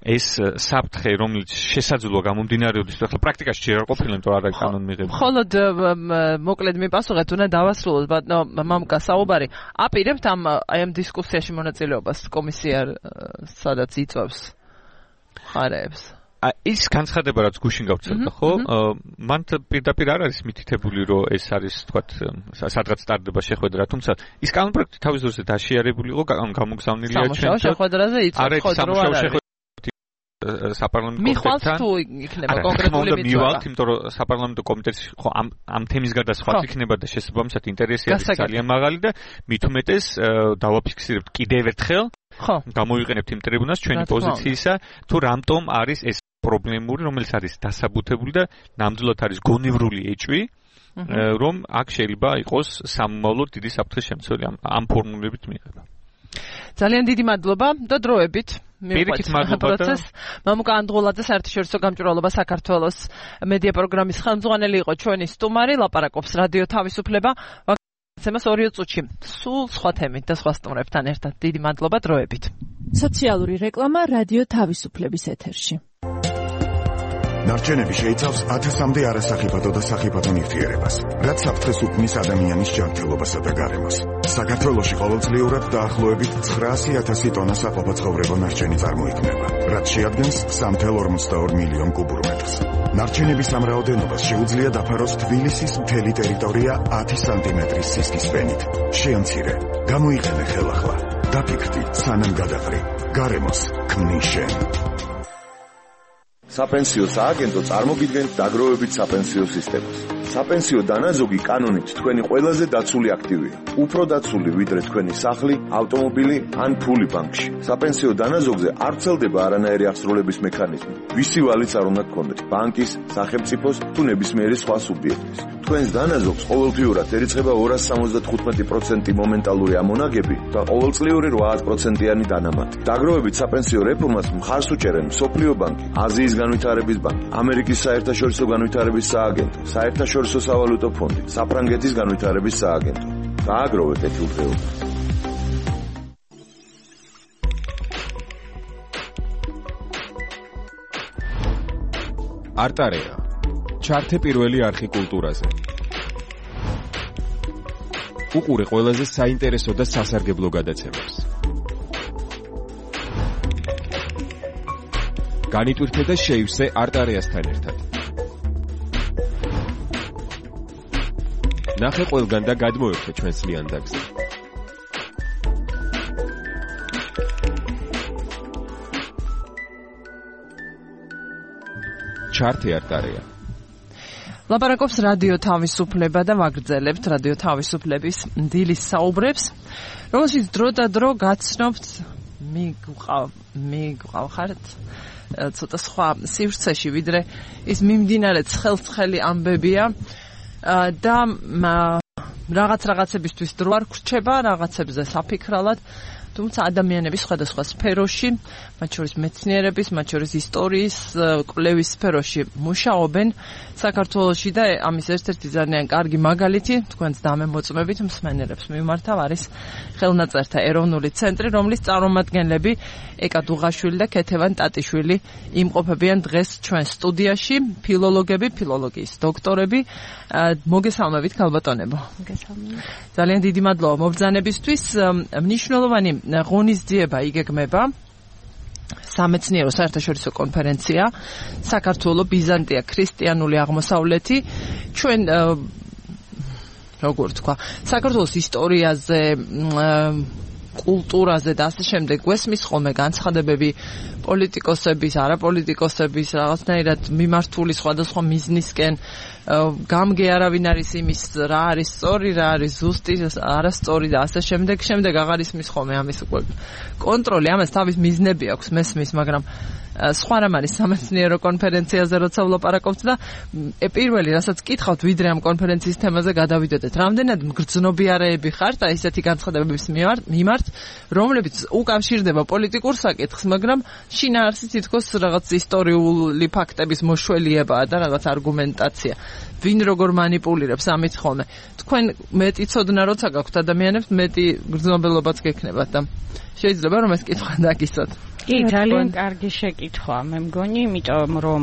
ეს საფრთხე, რომელიც შესაძლოა გამომდინარეობდეს, ახლა პრაქტიკაში ჯერ არ ყოფილა, იმიტომ არ არის კანონმიღებული. მხოლოდ მოკლედ მიპასუხეთ, უნდა დავასრულოთ, ბატონო მამუკა საუბარი. აპირებთ ამ დისკუსიაში მონაწილეობას კომისია, სადაც იწვევს ხარებს. ის განცხადება, რაც გუშინ გავცელდა, ხო? მან პირდაპირ არ არის მითითებული, რომ ეს არის, თქვათ, სადღაც სტარდება შეხვედრა, თუმცა ის კანონპროექტი თავის დროზე დაშიარებული იყო, გამოგზავნილია ჩვენ. სამუშაო შეხვედრაზე იწვევს, ხო, რომ არ არის. საპარლამენტო მიხვალთ თუ იქნება კონკრეტული მიწვევა. მივალთ, იმიტომ რომ საპარლამენტო კომიტეტში ხო ამ თემის გადასხვაც იქნება და შესაბამისად ინტერესი არის ძალიან მაღალი და მით უმეტეს დავაფიქსირებთ კიდევ ერთხელ. ხო. გამოვიყენებთ იმ ტრიბუნას ჩვენი პოზიციისა, თუ რამტომ არის ეს პრობლემური, რომელიც არის დასაბუთებული და ნამდვილად არის გონივრული ეჭვი, რომ აქ შეიძლება იყოს სამომავლოდ დიდი საფრთხის შემცველი ამ ფორმულებით მიიღება. ძალიან დიდი მადლობა და დროებით მივყვეთ პროცესს. მამუკა ანდღულაძე საერთაშორისო გამჭვირვალობა საქართველოს მედია პროგრამის ხელმძღვანელი იყო ჩვენი სტუმარი, ლაპარაკობს რადიო თავისუფლება. ცემას 2 წუთში სულ სხვა თემით და სხვა სტუმრებთან ერთად. დიდი მადლობა დროებით. სოციალური რეკლამა რადიო თავისუფლების ეთერში. ნარჩენები შეიცავს 1000-მდე არასახიფათო და სახიფათო ნივთიერებას, რაც საფრთხეს უქმნის ადამიანის ჯანმრთელობასა და გარემოს. საქართველოში ყოველწლიურად დაახლოებით 900,000 ტონა საყოფაცხოვრებო ნარჩენი წარმოიქმნება, რაც შეადგენს 3,42 მილიონ კუბურ მეტრს. ნარჩენების ამ რაოდენობას შეუძლია დაფაროს თბილისის მთელი ტერიტორია 10 სანტიმეტრის სისქის ფენით. შეამცირე, გამოიყენე ხელახლა, დაფიქრდი, სანამ გადაყრი. გარემოს ქმნის შენ. საპენსიო სააგენტო წარმოგიდგენთ დაგროვებით საპენსიო სისტემას. საპენსიო დანაზოგი კანონით თქვენი ყველაზე დაცული აქტივია. უფრო დაცული ვიდრე თქვენი სახლი, ავტომობილი ან ფული ბანკში. საპენსიო დანაზოგზე არ ვრცელდება არანაირი აღსრულების მექანიზმი. ვისი ვალიც არ უნდა გქონდეთ, ბანკის, სახელმწიფოს თუ ნებისმიერი სხვა სუბიექტის. თქვენს დანაზოგს ყოველთვიურად ერიცხება 275% მომენტალური ამონაგები და ყოველწლიური 8%-იანი დანამატი. დაგროვებით საპენსიო რეფორმას მხარს უჭერენ მსოფლიო ბანკი, აზიის განვითარების ბანკი, ამერიკის საერთაშორისო განვითარების სააგენტო, საერთაშორისო სავალუტო ფონდი, საფრანგეთის განვითარების სააგენტო. დააგროვეთ ეთილდღეობა. არტარეა. ჩართე პირველი არხი კულტურაზე. უყურე ყველაზე საინტერესო და სასარგებლო გადაცემებს. განიტვირთე და შეივსე არტარეასთან ერთად. ნახე ყველგან და გადმოერთე ჩვენს ლიანდაგზე. ჩართე არტარეა. ლაპარაკობს რადიო თავისუფლება და ვაგრძელებთ რადიო თავისუფლების დილის საუბრებს, რომელშიც დრო და დრო გაცნობთ მიგყავხართ ცოტა სხვა სივრცეში, ვიდრე ის მიმდინარე ცხელ-ცხელი ამბებია და რაღაცებისთვის დრო არ გრჩება, რაღაცებზე საფიქრალად თუმცა ადამიანების სხვადასხვა სფეროში, მათ შორის მეცნიერების, მათ შორის ისტორიის, კვლევის სფეროში მუშაობენ საქართველოში და ამის ერთ-ერთი ძალიან კარგი მაგალითი, თქვენს დამემოწმებით მსმენელებს მიმართავ არის ხელნაწერთა ეროვნული ცენტრი, რომლის წარმომადგენლები ეკა დუღაშვილი და ქეთევან ტატიშვილი იმყოფებიან დღეს ჩვენ სტუდიაში, ფილოლოგები, ფილოლოგიის დოქტორები. მოგესალმებით ქალბატონებო. მოგესალმებით. ძალიან დიდი მადლობა მობრძანებისთვის. მნიშვნელოვანი ღონისძიება იგეგმება სამეცნიერო საერთაშორისო კონფერენცია საქართველო ბიზანტია ქრისტიანული აღმოსავლეთი. ჩვენ როგორ თქვა, საქართველოს ისტორიაზე, კულტურაზე და ასე შემდეგ გვესმის ხოლმე განცხადებები პოლიტიკოსების, არაპოლიტიკოსების, რაღაცნაირად მიმართული სხვადასხვა მიზნისკენ. გამგე არავინ არის იმის რა არის სწორი, რა არის ზუსტი, არასწორი და ასე შემდეგ. შემდეგ აღარ ისმის ხოლმე ამის უკვე კონტროლი, ამას თავის მიზნები აქვს მესმის, მაგრამ სხვა რამ არის სამეცნიერო კონფერენციაზე როცა ვლაპარაკობთ და პირველი რასაც კითხავთ, ვიდრე ამ კონფერენციის თემაზე გადავიდოდეთ. რამდენად მგრძნობიარეები ხართ აი ესეთი განცხადებების მიმართ, რომლებიც უკავშირდება პოლიტიკურ საკითხს, მაგრამ შინაარსით თითქოს რაღაც ისტორიული ფაქტების მოშველიებაა და რაღაც არგუმენტაცია. ვინ როგორ манипуლირებს ამით ხოლმე. თქვენ მეტი ცოდნა როცა გაქვთ ადამიანებს, მეტი გრძნობელობაც გექნებათ და შეიძლება რომ ეს კითხვა დაგისვათ. კი, ძალიან კარგი შეკითხვა, მე მგონი, იმიტომ რომ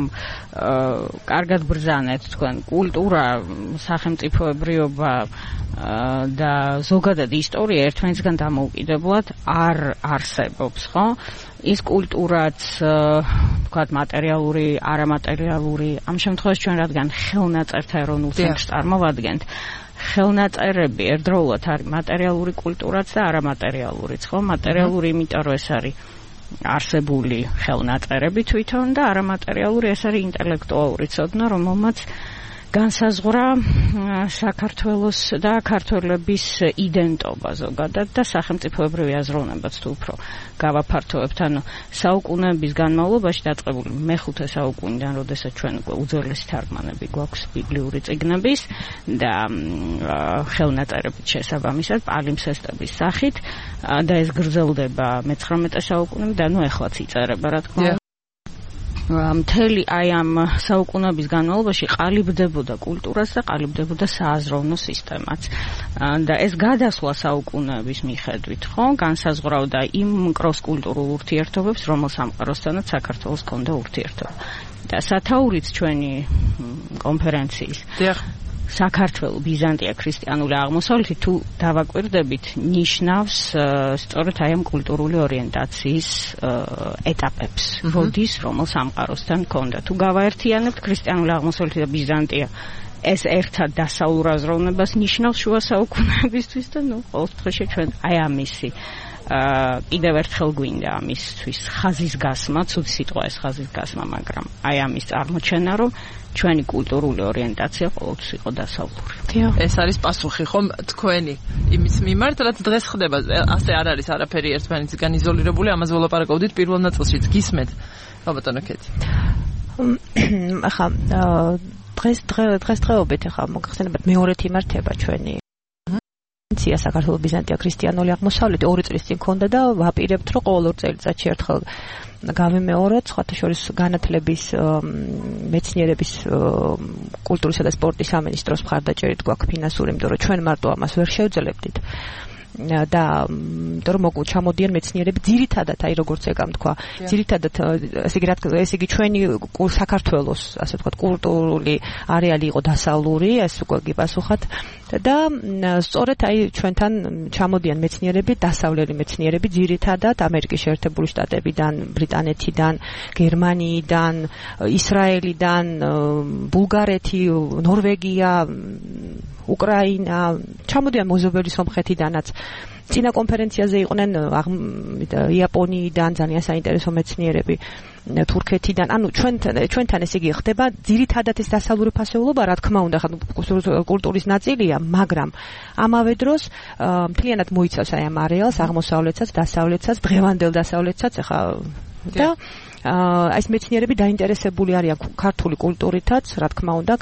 კარგად ბრძანეთ თქვენ კულტურა, სახელმწიფოებრიობა და ზოგადად ისტორია ერთმანეთისგან დამოუკიდებლად არ არსებობს, ხო? ის კულტურაც, თქვათ, მატერიალური, არამატერიალური, ამ შემთხვევაში ჩვენ რადგან ხელნაწერთა ეროვნულ ცენტრს წარმოვადგენთ, ხელნაწერები ერთდროულად არის მატერიალური კულტურაც და არამატერიალურიც, ხო? მატერიალური, იმიტომ რომ ეს არის არსებული ხელნაწერები თვითონ და არამატერიალური ეს არის ინტელექტუალური ცოდნა, რომელმაც განსაზღვრა საქართველოს და ქართველების იდენტობა ზოგადად და სახელმწიფოებრივი აზროვნებაც თუ უფრო გავაფართოვებთ, ანუ საუკუნეების განმავლობაში დაწყებული მეხუთე საუკუნიდან, როდესაც ჩვენ უკვე უძველესი თარგმანები გვაქვს ბიბლიური წიგნების და ხელნაწერებით შესაბამისად პალიმსესტების სახით და ეს გრძელდება მე-19 საუკუნემდე, ანუ ეხლაც იწერება, რა თქმა უნდა. მთელი აი ამ საუკუნეების განმავლობაში ყალიბდებოდა კულტურას და ყალიბდებოდა სააზროვნო სისტემაც. და ეს გადასვლა საუკუნეების მიხედვით, ხო, განსაზღვრავდა იმ კროს კულტურულ ურთიერთობებს, რომელ სამყაროსთანაც საქართველოს ჰქონდა ურთიერთობა. და სათაურიც ჩვენი კონფერენციის საქართველო ბიზანტია ქრისტიანული აღმოსავლეთი თუ დავაკვირდებით ნიშნავს სწორედ აი ამ კულტურული ორიენტაციის ეტაპებს, როდის რომელ სამყაროსთან ჰქონდა. თუ გავაერთიანებთ ქრისტიანული აღმოსავლეთი და ბიზანტია, ეს ერთად დასავლურ აზროვნებას ნიშნავს შუა საუკუნეებისთვის და ნუ ყოველთვის ჩვენ აი ამისი კიდევ ერთხელ გვინდა ამისთვის ხაზის გასმა, ცუდი სიტყვა ეს ხაზის გასმა, მაგრამ აი ამის წარმოჩენა, რომ ჩვენი კულტურული ორიენტაცია ყოველთვის იყო დასავლური. ეს არის პასუხი ხომ თქვენი იმის მიმართ, რაც დღეს ხდება, ასე არ არის არაფერი ერთმანეთისგან იზოლირებული, ამაზე ვლაპარაკობდით პირველ ნაწილშიც. გისმენთ, ბატონო ქეთი. ახლა დღესდღეობით ახლა მოგხსენებათ მეორეთი იმართება ჩვენი საქართველოს ბიზანტია ქრისტიანული აღმოსავლეთი 2 წლის წინ ქონდა და ვაპირებთ, რომ ყოველ წელიწადში ერთხელ გავიმეოროთ, სხვათა შორის განათლების მეცნიერების კულტურისა და სპორტის სამინისტროს მხარდაჭერით გვაქვს ფინანსური, იმიტომ რომ ჩვენ მარტო ამას ვერ შევძლებდით. და იმიტომ რომ ჩამოდიან მეცნიერები ძირითადად, აი როგორც ეგამ თქვა, ძირითადად ესე იგი ჩვენი საქართველოს, ასე ვთქვათ, კულტურული არეალი იყო დასავლური, ეს უკვე გიპასუხათ და სწორედ აი ჩვენთან ჩამოდიან მეცნიერები, დასავლელი მეცნიერები ძირითადად ამერიკის შეერთებული შტატებიდან, ბრიტანეთიდან, გერმანიიდან, ისრაელიდან, ბულგარეთი, ნორვეგია, უკრაინა, ჩამოდიან მეზობელი სომხეთიდანაც. წინა კონფერენციაზე იყვნენ იაპონიიდან ძალიან საინტერესო მეცნიერები, თურქეთიდან. ანუ ჩვენთან ესე იგი ხდება ძირითადად ეს დასავლური ფასეულობა, რა თქმა უნდა, კულტურის ნაწილია, მაგრამ ამავე დროს მთლიანად მოიცავს აი ამ არეალს, აღმოსავლეთსაც, დასავლეთსაც, დღევანდელ დასავლეთსაც, ახლა და ეს მეცნიერები დაინტერესებული არიან ქართული კულტურითაც, რა თქმა უნდა,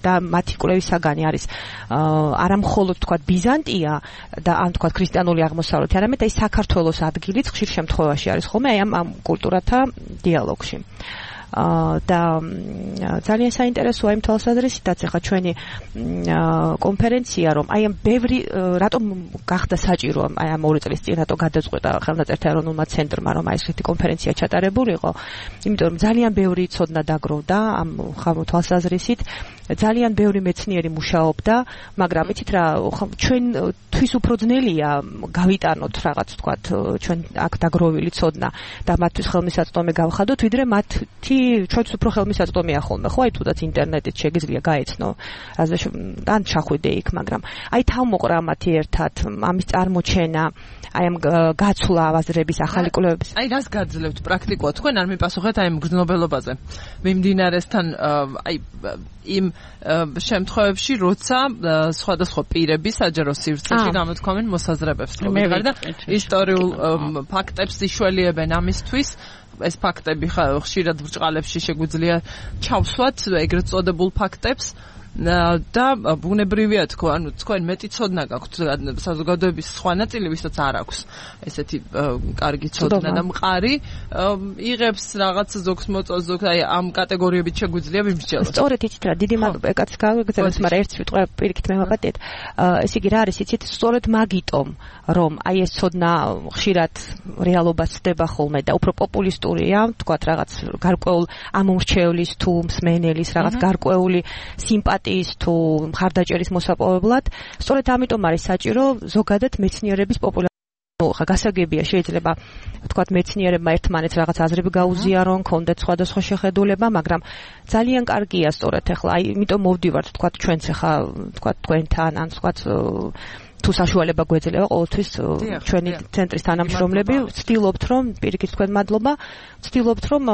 და მათი კვლევის საგანი არის არა მხოლოდ თქვა ბიზანტია და ან თქვა ქრისტიანული აღმოსავლეთი, არამედ აი საქართველოს ადგილიც ხშირ შემთხვევაში არის ხოლმე აი ამ კულტურათა დიალოგში. და ძალიან საინტერესოა იმ თვალსაზრისითაც ახლა ჩვენი კონფერენცია რომ აი ამ ბევრი რატომ გახდა საჭირო აი ამ 2 წლის წინ რატო გადაწყვეტა ხელნაწერთა ეროვნულმა ცენტრმა რომ აი ესეთი კონფერენცია ჩატარებულიყო იმიტომ რომ ძალიან ბევრი ცოდნა დაგროვდა ამ თვალსაზრისით ძალიან ბევრი მეცნიერი მუშაობდა მაგრამ იცით რა ჩვენ თვის უფრო ძნელია გავიტანოთ რაღაც თქვათ ჩვენ აქ დაგროვილი ცოდნა და მათთვის ხელმისაწვდომი გავხადოთ ვიდრე მათი ჩვენც უფრო ხელმისაწვდომია ხოლმე ხო აი თუდაც ინტერნეტით შეგიძლია გაეცნო ან ჩახვიდე იქ მაგრამ აი თავმოყრა მათი ერთად ამის წარმოჩენა აი ამ გაცვლა აზრების ახალი კვლევების აი რას გაძლევთ პრაქტიკულად თქვენ არ მიპასუხეთ აი ამ გრძნობელობაზე მიმდინარესთან აი იმ შემთხვევებში როცა სხვადასხვა პირები საჯარო სივრცეში გამოთქვამენ მოსაზრებებს და ისტორიულ ფაქტებს იშველიებენ ამისთვის ეს ფაქტები ხშირად ბრჭყალებში შეგვიძლია ჩავსვათ ეგრეთ წოდებულ ფაქტებს და ბუნებრივია თქო, ანუ თქვენ მეტი ცოდნა გაქვთ საზოგადოების სხვა ნაწილი, ვისაც არ აქვს ესეთი კარგი ცოდნა და მყარი, იღებს რაღაც ზოგს მოწონს, ზოგს აი ამ კატეგორიებით შეგვიძლია ვიმსჯელოთ. სწორედ იცით რა, დიდი მადლობა, ეკაც გავიგზავნეთ, მაგრამ ერთ სიტყვა პირიქით მე ვაპატეთ. ეს იგი რა არის, იცით, სწორედ მაგიტომ, რომ აი ეს ცოდნა ხშირად რეალობას ხდება ხოლმე და უფრო პოპულისტურია, თქვათ რაღაც გარკვეულ ამომრჩევლის თუ მსმენელის რაღაც გარკვეული სიმპათია თუ მხარდაჭერის მოსაპოვებლად, სწორედ ამიტომ არის საჭირო ზოგადად მეცნიერების პოპულარიზაცია. ხა გასაგებია შეიძლება თქვათ მეცნიერებმა ერთმანეთს რაღაც აზრები გაუზიარონ, კონდეთ სხვადასხვა შეხედულება, მაგრამ ძალიან კარგია სწორედ ახლა, აი, იმიტომ მოვდივართ თქვათ ჩვენც ახლა თქვათ თქვენთან ან თქვათ თუ საშუალება გვეძლევა ყოველთვის ჩვენი ცენტრის თანამშრომლები ვცდილობთ რომ პირიქით თქვენ მადლობა ვცდილობთ რომ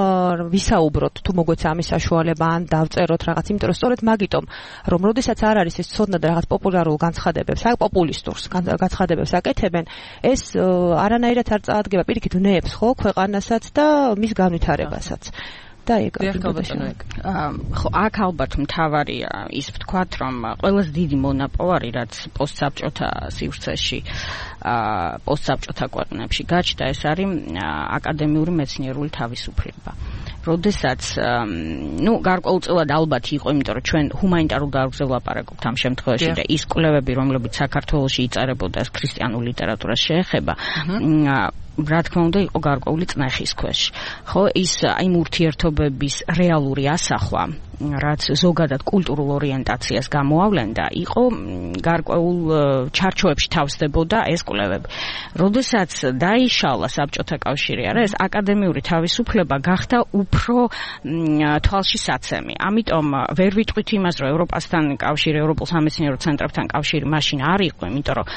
ვისაუბროთ თუ მოგვეცა ამის საშუალება ან დავწეროთ რაღაც იმიტომ რომ სწორედ მაგიტომ რომ როდესაც არ არის ეს ცოდნა და რაღაც პოპულარულ განცხადებებს აი პოპულისტურს განცხადებებს აკეთებენ ეს არანაირად არ წაადგება პირიქით ვნებს ხო ქვეყანასაც და მის განვითარებასაც და ეგ ხო აქ ალბათ მთავარია ის ვთქვათ რომ ყველაზე დიდი მონაპოვარი რაც პოსტსაბჭოთა სივრცეში პოსტსაბჭოთა ქვეყნებში გაჩნდა ეს არის აკადემიური მეცნიერული თავისუფლება როდესაც გარკვეულწილად ალბათ იყო იმიტომ რომ ჩვენ ჰუმანიტარულ დარგზე ვლაპარაკობთ ამ შემთხვევაში და ის კვლევები რომლებიც საქართველოში იწერებოდა ქრისტიანულ ლიტერატურას შეეხება რა თქმა უნდა იყო გარკვეული წნეხის ქვეშ ხო ის აი ურთიერთობების რეალური ასახვა რაც ზოგადად კულტურულ ორიენტაციას გამოავლენდა იყო გარკვეულ ჩარჩოებში თავსდებოდა ეს კვლევები როდესაც დაიშალა საბჭოთა კავშირი არა ეს აკადემიური თავისუფლება გახდა უფრო თვალში საცემი ამიტომ ვერ ვიტყვით იმას რომ ევროპასთან კავშირი ევროპულ სამეცნიერო ცენტრებთან კავშირი მაშინ არ იყო იმიტომ რომ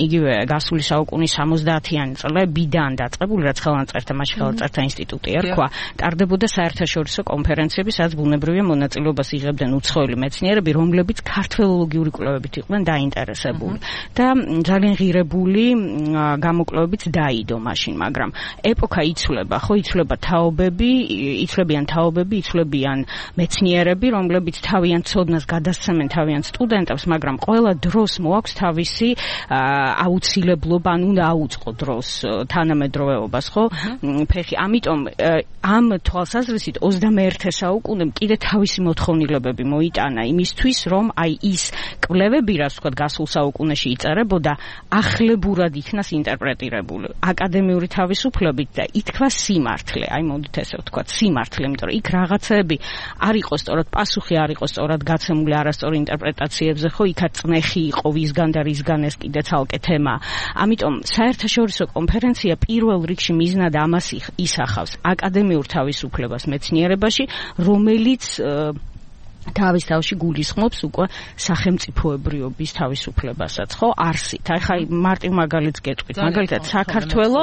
იგივე გასული საუკუნის 70-იანი წლებიდან დაწყებული რაც ხელნაწერთა მაშინ ხელნაწერთა ინსტიტუტი ერქვა ტარდებოდა საერთაშორისო კონფერენციები სადაც ბუნებრივია მონაწილეობას იღებდნენ უცხოელი მეცნიერები, რომლებიც ქართველოლოგიური კვლევებით იყვნენ დაინტერესებული და ძალიან ღირებული გამოკვლევებით დაიდო მაშინ, მაგრამ ეპოქა იცვლება, ხო იცვლება თაობები, იცვლებიან თაობები, იცვლებიან მეცნიერები, რომლებიც თავიანთ ცოდნას გადასცემენ თავიანთ სტუდენტებს, მაგრამ ყველა დროს მოაქვს თავისი აუცილებლობა, ან უნდა აუწყო დროს თანამედროვეობას, ხო? ფეხი, ამიტომ ამ თვალსაზრისით 21 საუკუნემ კიდე თავისი მოთხოვნილებები მოიტანა იმისთვის, რომ აი ის კვლევები, რაც ვთქვათ, გასულ საუკუნეში იწერებოდა, ახლებურად იქნას ინტერპრეტირებული. აკადემიური თავისუფლებით და ითქვა სიმართლე. აი მოდით ესე ვთქვათ, სიმართლე, იმიტომ რომ იქ რაღაცები არ იყო სწორად პასუხი, არ იყო სწორად გაცემული არასწორი ინტერპრეტაციებზე, ხო, იქაც წნეხი იყო ვისგან და რისგან ეს კიდე ცალკე თემა. ამიტომ საერთაშორისო კონფერენცია პირველ რიგში მიზნად ამას ისახავს აკადემიურ თავისუფლებას მეცნიერებაში, რომელიც თავის თავში გულისხმობს უკვე სახელმწიფოებრიობის თავისუფლებასაც, ხო? არსით. აი ხა მარტივ მაგალითს გეტყვით. მაგალითად, საქართველო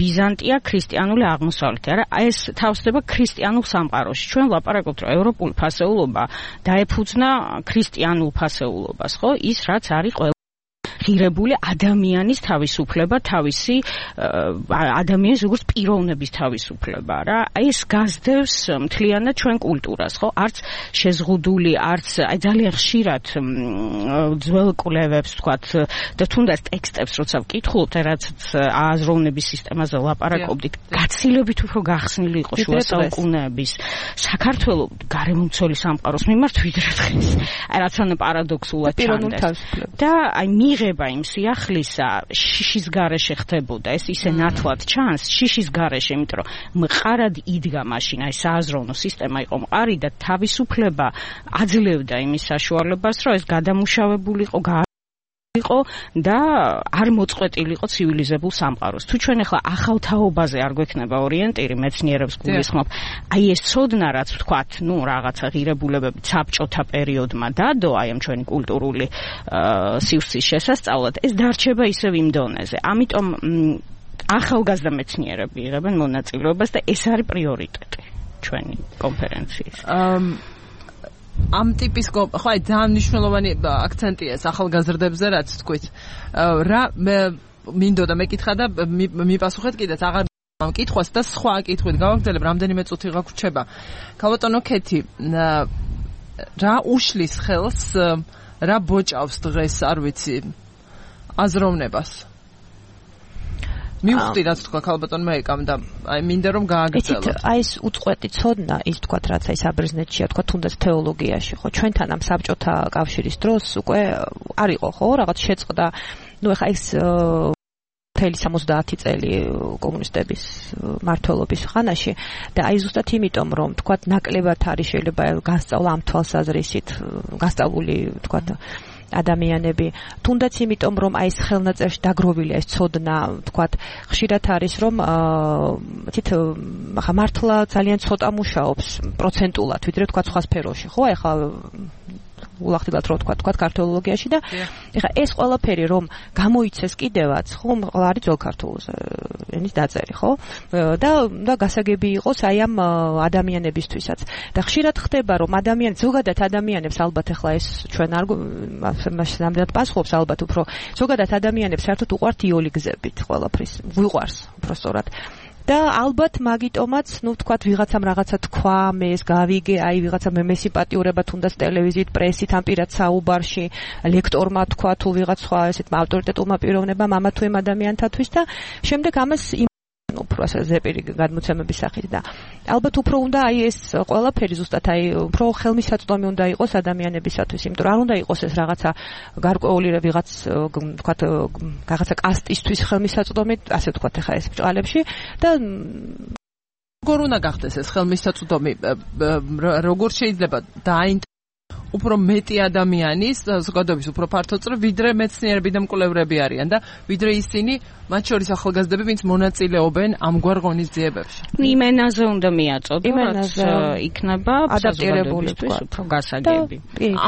ბიზანტია ქრისტიანული აღმოსავლეთი. არა, ეს თავსდება ქრისტიანულ სამყაროში. ჩვენ ვლაპარაკობთ, რომ ევროპული ფასეულობა დაეფუძნა ქრისტიანულ ფასეულობას, ხო? ის რაც არის ღირებული ადამიანის თავისუფლება, თავისი ადამიანის როგორც პიროვნების თავისუფლება რა. ეს გასდევს მთლიანად ჩვენ კულტურას, ხო? არც შეზღუდული, არც ძალიან ხშირად ძველ კვლევებს ვთქვათ და თუნდაც ტექსტებს როცა ვკითხულობთ, რაც აზროვნების სისტემაზე ლაპარაკობდით, გაცილებით უფრო გახსნილი იყო შუა საუკუნეების საქართველოს გარემომცველი სამყაროს მიმართ ვიდრე დღეს. რაც ან პარადოქსულად ჩანდეს. და აი მიღება იმ სიახლისა შიშის გარეშე ხდებოდა. ეს ისე ნათლად ჩანს შიშის გარეშე, იმიტომ რომ მყარად იდგა მაშინ აი სააზროვნო სისტემა იყო მყარი და თავისუფლება აძლევდა იმის საშუალებას, რომ ეს გადამუშავებული იყო და არ მოწყვეტილიყო ცივილიზებულ სამყაროს. თუ ჩვენ ახლა ახალ თაობაზე არ გვექნება ორიენტირი, მეცნიერებს გულისხმობ, აი ეს ცოდნა რაც ვთქვათ, ნუ რაღაცა ღირებულებები საბჭოთა პერიოდმა დადო, აი ამ ჩვენი კულტურული სივრცის შესასწავლად, ეს დარჩება ისევ იმ დონეზე. ამიტომ ახალგაზრდა მეცნიერები იღებენ მონაწილეობას და ეს არის პრიორიტეტი ჩვენი კონფერენციის. ამ ტიპის ხო აი ძალიან მნიშვნელოვანი აქცენტია ეს ახალგაზრდებზე რაც თქვით. რა მინდოდა მეკითხა და მიპასუხეთ კიდეც აღარ ამ კითხვას და სხვა კითხვით გავაგრძელებ, რამდენიმე წუთი გაგვრჩება. ქალბატონო ქეთი, რა უშლის ხელს, რა ბოჭავს დღეს, არ ვიცი, აზროვნებას? მივხვდი რაც თქვა ქალბატონმა ეკამ და აი მინდა რომ გააგრძელოთ. იცით, აი ეს უწყვეტი ცოდნა, ის თქვათ რაც აი საბერძნეთშია, თქვათ თუნდაც თეოლოგიაში, ხო, ჩვენთან ამ საბჭოთა კავშირის დროს უკვე არ იყო, ხო, რაღაც შეწყდა, ნუ ეხა ეს მთელი 70 წელი კომუნისტების მმართველობის ხანაში და აი ზუსტად იმიტომ რომ თქვათ ნაკლებად არის შეიძლება გასწავლა ამ თვალსაზრისით, გასწავლული თქვათ ადამიანები, თუნდაც იმიტომ რომ აი ეს ხელნაწერში დაგროვილია ეს ცოდნა, თქვათ, ხშირად არის რომ ახლა მართლა ძალიან ცოტა მუშაობს პროცენტულად, ვიდრე თქვათ სხვა სფეროში, ხო? ახლა ულახდილად რო თქვათ ქართოლოგიაში და ეხლა ეს ყველაფერი რომ გამოიცეს კიდევაც, ხო, არის ძველ ქართულზე ენის დაწერი, ხო? და გასაგები იყოს აი ამ ადამიანებისთვისაც. და ხშირად ხდება რომ ზოგადად ადამიანებს ალბათ ეხლა ეს ჩვენ არ ნამდვილად პასუხობს ალბათ უფრო ზოგადად ადამიანებს საერთოდ უყვართ იოლი გზებით ყველაფრის, ვიყვარს უფრო სწორად. და ალბათ მაგიტომაც, ნუ თქვათ ვიღაცამ რაღაცა თქვა, მე ეს გავიგე, აი ვიღაცა მე სიმპათიურება თუნდაც ტელევიზიით, პრესით, ამ პირად საუბარში, ლექტორმა თქვა თუ ვიღაც სხვა ესეთ ავტორიტეტულმა პიროვნებამ ამა თუ იმ ადამიანთათვის და შემდეგ ამას უფრო ასე ზეპირი გადმოცემების სახით და ალბათ უფრო უნდა აი ეს ყველაფერი ზუსტად აი უფრო ხელმისაწვდომი უნდა იყოს ადამიანებისათვის, იმიტომ რომ არ უნდა იყოს ეს რაღაცა გარკვეული ვიღაც თქვათ რაღაცა კასტისთვის ხელმისაწვდომი, ასე ვთქვათ ახლა ეს ბჭყალებში და როგორ უნდა გახდეს ეს ხელმისაწვდომი, როგორ შეიძლება დაინტერესდეს უფრო მეტი ადამიანის საზოგადოების უფრო ფართოწრე ვიდრე მეცნიერები და მკვლევრები არიან და ვიდრე ისინი მათ შორის ახალგაზრდები, ვინც მონაწილეობენ ამგვარ ღონისძიებებში. იმენაზე უნდა მიაწოდო, რაც იქნება ადაპტირებული უფრო გასაგები.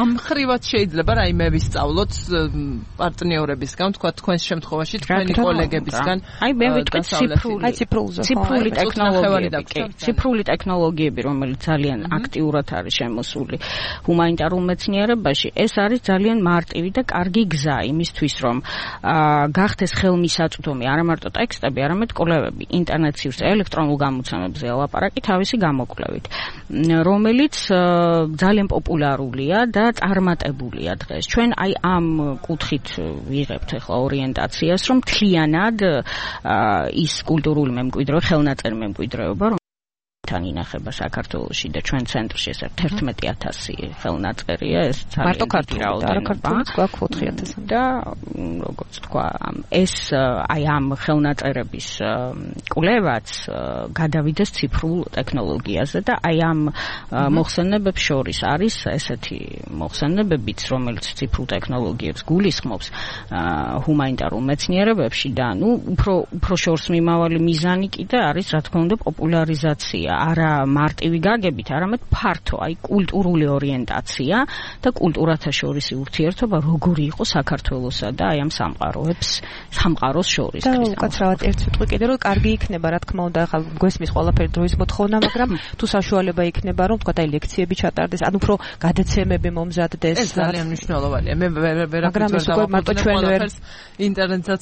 ამ ხრივად შეიძლება რაიმე ვისწავლოთ პარტნიორებისგან, თქვა თქვენს შემთხვევაში თქვენი კოლეგებისგან. აი მე ვიტყვი ციფრული ტექნოლოგიები, რომელიც ძალიან აქტიურად არის შემოსული ჰუმანიტარულ მეცნიერებაში, ეს არის ძალიან მარტივი და კარგი გზა იმისთვის, რომ გახდეს ხელმისაწვდომი არა მარტო ტექსტები, არამედ კვლევები ინტერნეტის ელექტრონულ გამოცემებზე ლაპარაკი თავისი გამოკვლევით, რომელიც ძალიან პოპულარულია და წარმატებულია დღეს. ჩვენ აი ამ კუთხით ვიღებთ ახლა ორიენტაციას, რომ მთლიანად ის კულტურული მემკვიდრეობა, ხელნაწერი მემკვიდრეობა თან ინახება საქართველოში და ჩვენ ცენტრში ეს 11,000 ხელნაწერია, ეს მარტო ქართულად, არა ქართულიც გვაქვს 4,000 და როგორც თქვა, ეს აი ამ ხელნაწერების კვლევაც გადავიდეს ციფრულ ტექნოლოგიაზე და აი ამ მოხსენებებს შორის არის ესეთი მოხსენებებიც, რომელიც ციფრულ ტექნოლოგიებს გულისხმობს ჰუმანიტარულ მეცნიერებებში და ნუ უფრო შორს მიმავალი მიზანი კიდე არის, რა თქმა უნდა, პოპულარიზაცია არა მარტივი გაგებით, არამედ ფართო, აი კულტურული ორიენტაცია და კულტურათა შორისი ურთიერთობა როგორი იყო საქართველოსა და აი ამ სამყაროს შორის. და უკაცრავად ერთ სიტყვი კიდე რომ კარგი იქნება, რა თქმა უნდა, ახლა გვესმის ყველაფერი დროის მოთხოვნა, მაგრამ თუ საშუალება იქნება, რომ თქვა აი ლექციები ჩატარდეს, ან უფრო გადაცემები მომზადდეს. ეს ძალიან მნიშვნელოვანია. მე მაგრამ ეს უკვე მარტო ჩვენ ვერ ინტერნეტსაც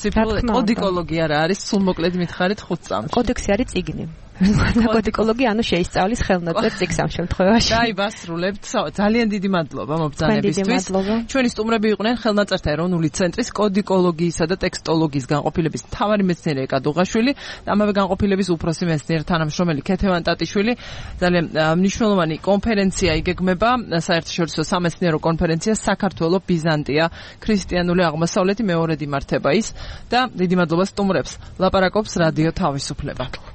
კოდიკოლოგია რა არის, სულ მოკლედ მითხარით 5 წამში. კოდექსი არის წიგნი. კოდიკოლოგი ანუ შეისწავლის ხელნაწერ წიგნს ამ შემთხვევაში. აი, ვასრულებთ. ძალიან დიდი მადლობა მობრძანებისთვის. ჩვენი სტუმრები იყვნენ ხელნაწერთა ეროვნული ცენტრის კოდიკოლოგიისა და ტექსტოლოგიის განყოფილების მთავარი მეცნიერი ეკადუღაშვილი, ამავე განყოფილების უფროსი მეცნიერი თანამშრომელი ქეთევან ტატიშვილი. ძალიან მნიშვნელოვანი კონფერენცია იგეგმება, საერთაშორისო სამეცნიერო კონფერენცია საქართველოს ბიზანტია, ქრისტიანული აღმოსავლეთი მეორედ იმართება ის და დიდი მადლობა სტუმრებს. ლაპარაკობს რადიო თავისუფლება.